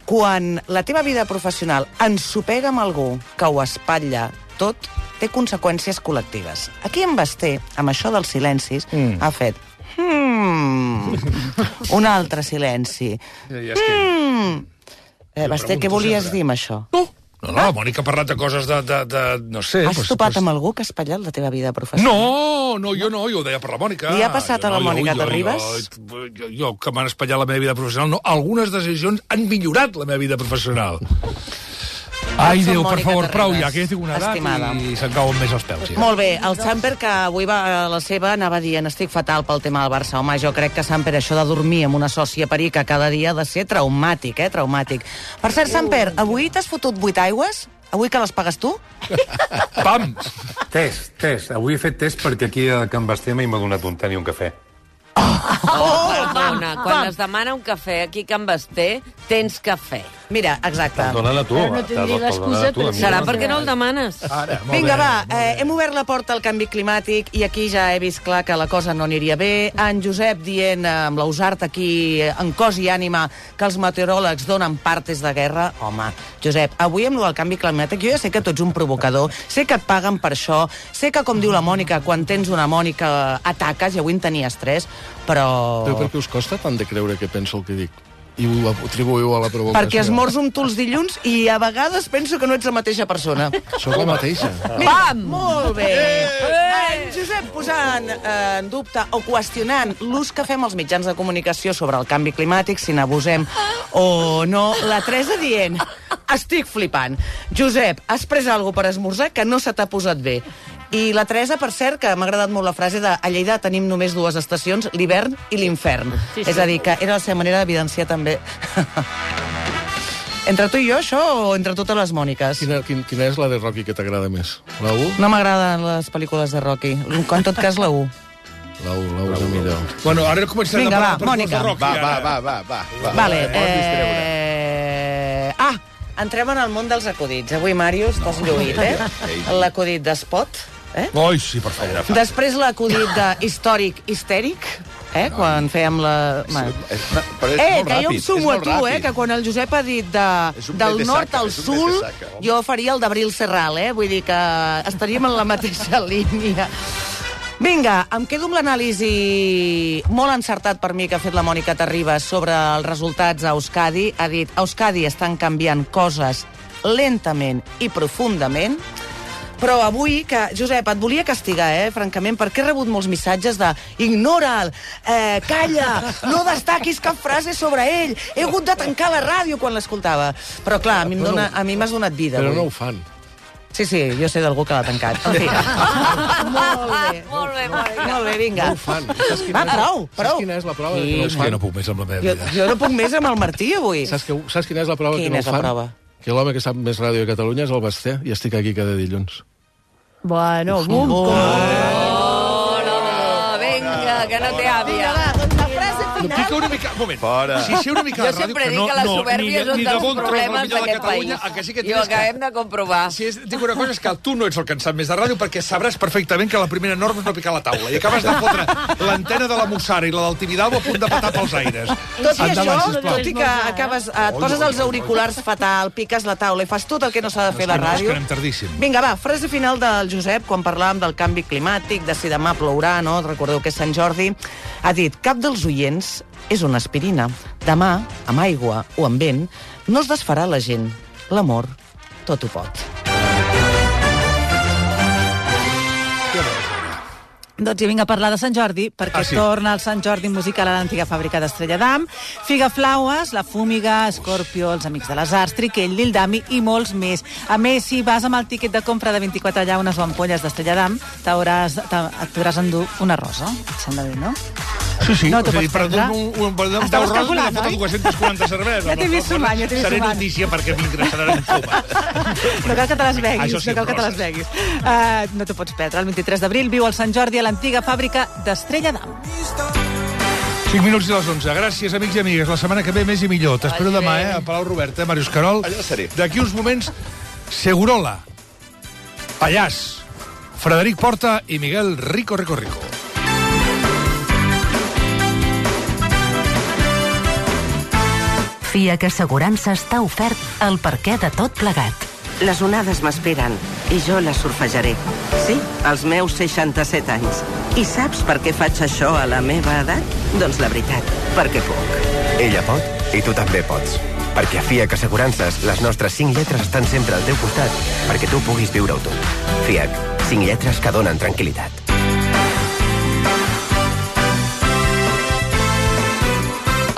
Quan la teva vida professional ensopega amb algú que ho espatlla tot, té conseqüències col·lectives. Aquí en Basté, amb això dels silencis, mm. ha fet... Hmm, un altre silenci. Hmm... Eh, Basté, què volies dir amb això? No, no, no, la Mònica ha parlat de coses de... de, de no sé... Has pues, topat pues... amb algú que ha espatllat la teva vida professional? No, no, jo no, jo ho deia per la Mònica. Li ha passat jo a la no, Mònica jo, Terribas? Jo, jo, jo, jo, que m'han espatllat la meva vida professional, no. Algunes decisions han millorat la meva vida professional. Ai, Déu, per favor, prou ja, que ja tinc una edat Estimada. I se'n cauen més els pèls. Ja. Molt bé, el Samper, que avui va a la seva, anava dient, estic fatal pel tema del Barça. Home, jo crec que, Samper, això de dormir amb una sòcia perica cada dia ha de ser traumàtic, eh, traumàtic. Per cert, Samper, avui t'has fotut vuit aigües? Avui que les pagues tu? Pam! Test, test. Avui he fet test perquè aquí a Can Basté m'ha donat un tant i un cafè. Oh, oh, perdona, quan es demana un cafè aquí a Can Basté, tens cafè. Mira, exacte. Te'l donen a tu. Ara no tindria l'excusa, però... Serà perquè no el demanes. Ara, Vinga, va, eh, hem obert la porta al canvi climàtic i aquí ja he vist clar que la cosa no aniria bé. En Josep dient, eh, amb l'Ausart aquí, en cos i ànima, que els meteoròlegs donen partes de guerra. Home, Josep, avui amb lo del canvi climàtic, jo ja sé que tu ets un provocador, sé que et paguen per això, sé que, com diu la Mònica, quan tens una Mònica ataques, i avui en tenies tres, però... Però per què us costa tant de creure que penso el que dic? I ho atribuïu a la provocació? Perquè esmorzo amb tu els dilluns i a vegades penso que no ets la mateixa persona. Sóc la mateixa. Mira, molt bé. En Josep posant eh, en dubte o qüestionant l'ús que fem els mitjans de comunicació sobre el canvi climàtic, si n'abusem o no. La Teresa dient, estic flipant. Josep, has pres alguna per esmorzar que no se t'ha posat bé. I la Teresa, per cert, que m'ha agradat molt la frase de a Lleida tenim només dues estacions, l'hivern i l'infern. Sí, sí. És a dir, que era la seva manera d'evidenciar també... Entre tu i jo, això, o entre totes les Mòniques? Quina, quina, quina és la de Rocky que t'agrada més? La u? No m'agraden les pel·lícules de Rocky. En tot cas, la u. La u, la u és la millor. Bueno, ara començarem Vinga, a va, parlar Mònica. de Rocky. Va, va, ara. va, va, va. va. Vale, Va, eh... Ah, entrem en el món dels acudits. Avui, Màrius, t'has lluït, eh? L'acudit d'Espot. Eh? Oi, sí, per favor. Després l'acudit de històric histèric, eh? No, quan fèiem la... És, és, però és eh, molt que ràpid, jo em sumo a tu, ràpid. eh? Que quan el Josep ha dit de, del nord al sud, jo faria el d'Abril Serral, eh? Vull dir que estaríem en la mateixa línia. Vinga, em quedo amb l'anàlisi molt encertat per mi que ha fet la Mònica Terribas sobre els resultats a Euskadi. Ha dit, a Euskadi estan canviant coses lentament i profundament. Però avui, que, Josep, et volia castigar, eh, francament, perquè he rebut molts missatges de ignora'l, eh, calla, no destaquis cap frase sobre ell, he hagut de tancar la ràdio quan l'escoltava. Però, clar, a mi m'has donat vida. Però avui. no ho fan. Sí, sí, jo sé d'algú que l'ha tancat. En fi. Molt bé. Molt bé, molt bé. Molt bé, vinga. No ho fan. Va, prou, prou. Saps quina és la prova? Sí. Que no ho És que fan? no puc més amb la meva Jo, vida. jo no puc més amb el Martí, avui. Saps, que, saps quina és la prova Quina que no és ho la fan? prova? Que l'home que sap més ràdio a Catalunya és el Basté i estic aquí cada dilluns. Bueno, bum, com... Oh, no, vinga, que no té àvia. La frase No, pica una mica... Un moment. Fora. Si sé una mica Jo de ràdio... sempre dic que la supèrbia és un dels problemes d'aquest país. Que sí que I ho acabem de comprovar. Si és, dic una cosa, és que tu no ets el que en sap més de ràdio perquè sabràs perfectament que la primera norma és no picar la taula i acabes de fotre l'antena de la Mussara i la del Tibidabo a punt de patar pels aires. Tot i Endavant, això, sisplau. tot i que acabes, et poses els auriculars fatal, piques la taula i fas tot el que no s'ha de fer a la És que no, és ràdio... que anem tardíssim. Vinga, va, frase final del Josep, quan parlàvem del canvi climàtic, de si demà plourà, no? Recordeu que és Sant Jordi. Ha dit, cap dels oients és una aspirina. Demà, amb aigua o amb vent, no es desfarà la gent. L'amor tot ho pot. Doncs i vinc a parlar de Sant Jordi, perquè Ah, sí? torna el Sant Jordi musical a l'antiga fàbrica d'Estrella d'Am, Figa Flaues, La Fúmiga, Scorpio, Els Amics de les Arts, Triquell, Lildami i molts més. A més, si vas amb el tiquet de compra de vint-i-quatre llaunes o ampolles d'Estrella d'Am, t'hauràs, et podràs endur una rosa. Et sembla bé, no? Sí, sí, No t'ho és a dir, pots per perdre. un, un, un, un Estaves deu roses me calculant, foten oi? quatre-centes quaranta cerveses. Ja t'he vist sumant, ja t'he vist Seré sumant. notícia perquè m'ingressaran en coma. No cal que te les beguis, Això sí, no cal que te les roses. beguis. Uh, no t'ho pots perdre. El vint-i-tres d'abril viu al Sant Jordi a l'antiga fàbrica d'Estrella d'Am. cinc minuts i les onze. Gràcies, amics i amigues. La setmana que ve més i millor. T'espero demà, eh, a Palau Robert, eh, Màrius Carol. Allà seré. D'aquí uns moments, Segurola, Pallàs, Frederic Porta i Miguel Rico Rico Rico. FIAC Assegurances t'ha ofert el perquè de tot plegat. Les onades m'esperen i jo les surfejaré. Sí, als meus seixanta-set anys. I saps per què faig això a la meva edat? Doncs la veritat, perquè puc. Ella pot i tu també pots. Perquè a FIAC Assegurances les nostres cinc lletres estan sempre al teu costat perquè tu puguis viure-ho tot. FIAC, cinc lletres que donen tranquil·litat.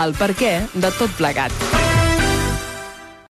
El perquè de tot plegat.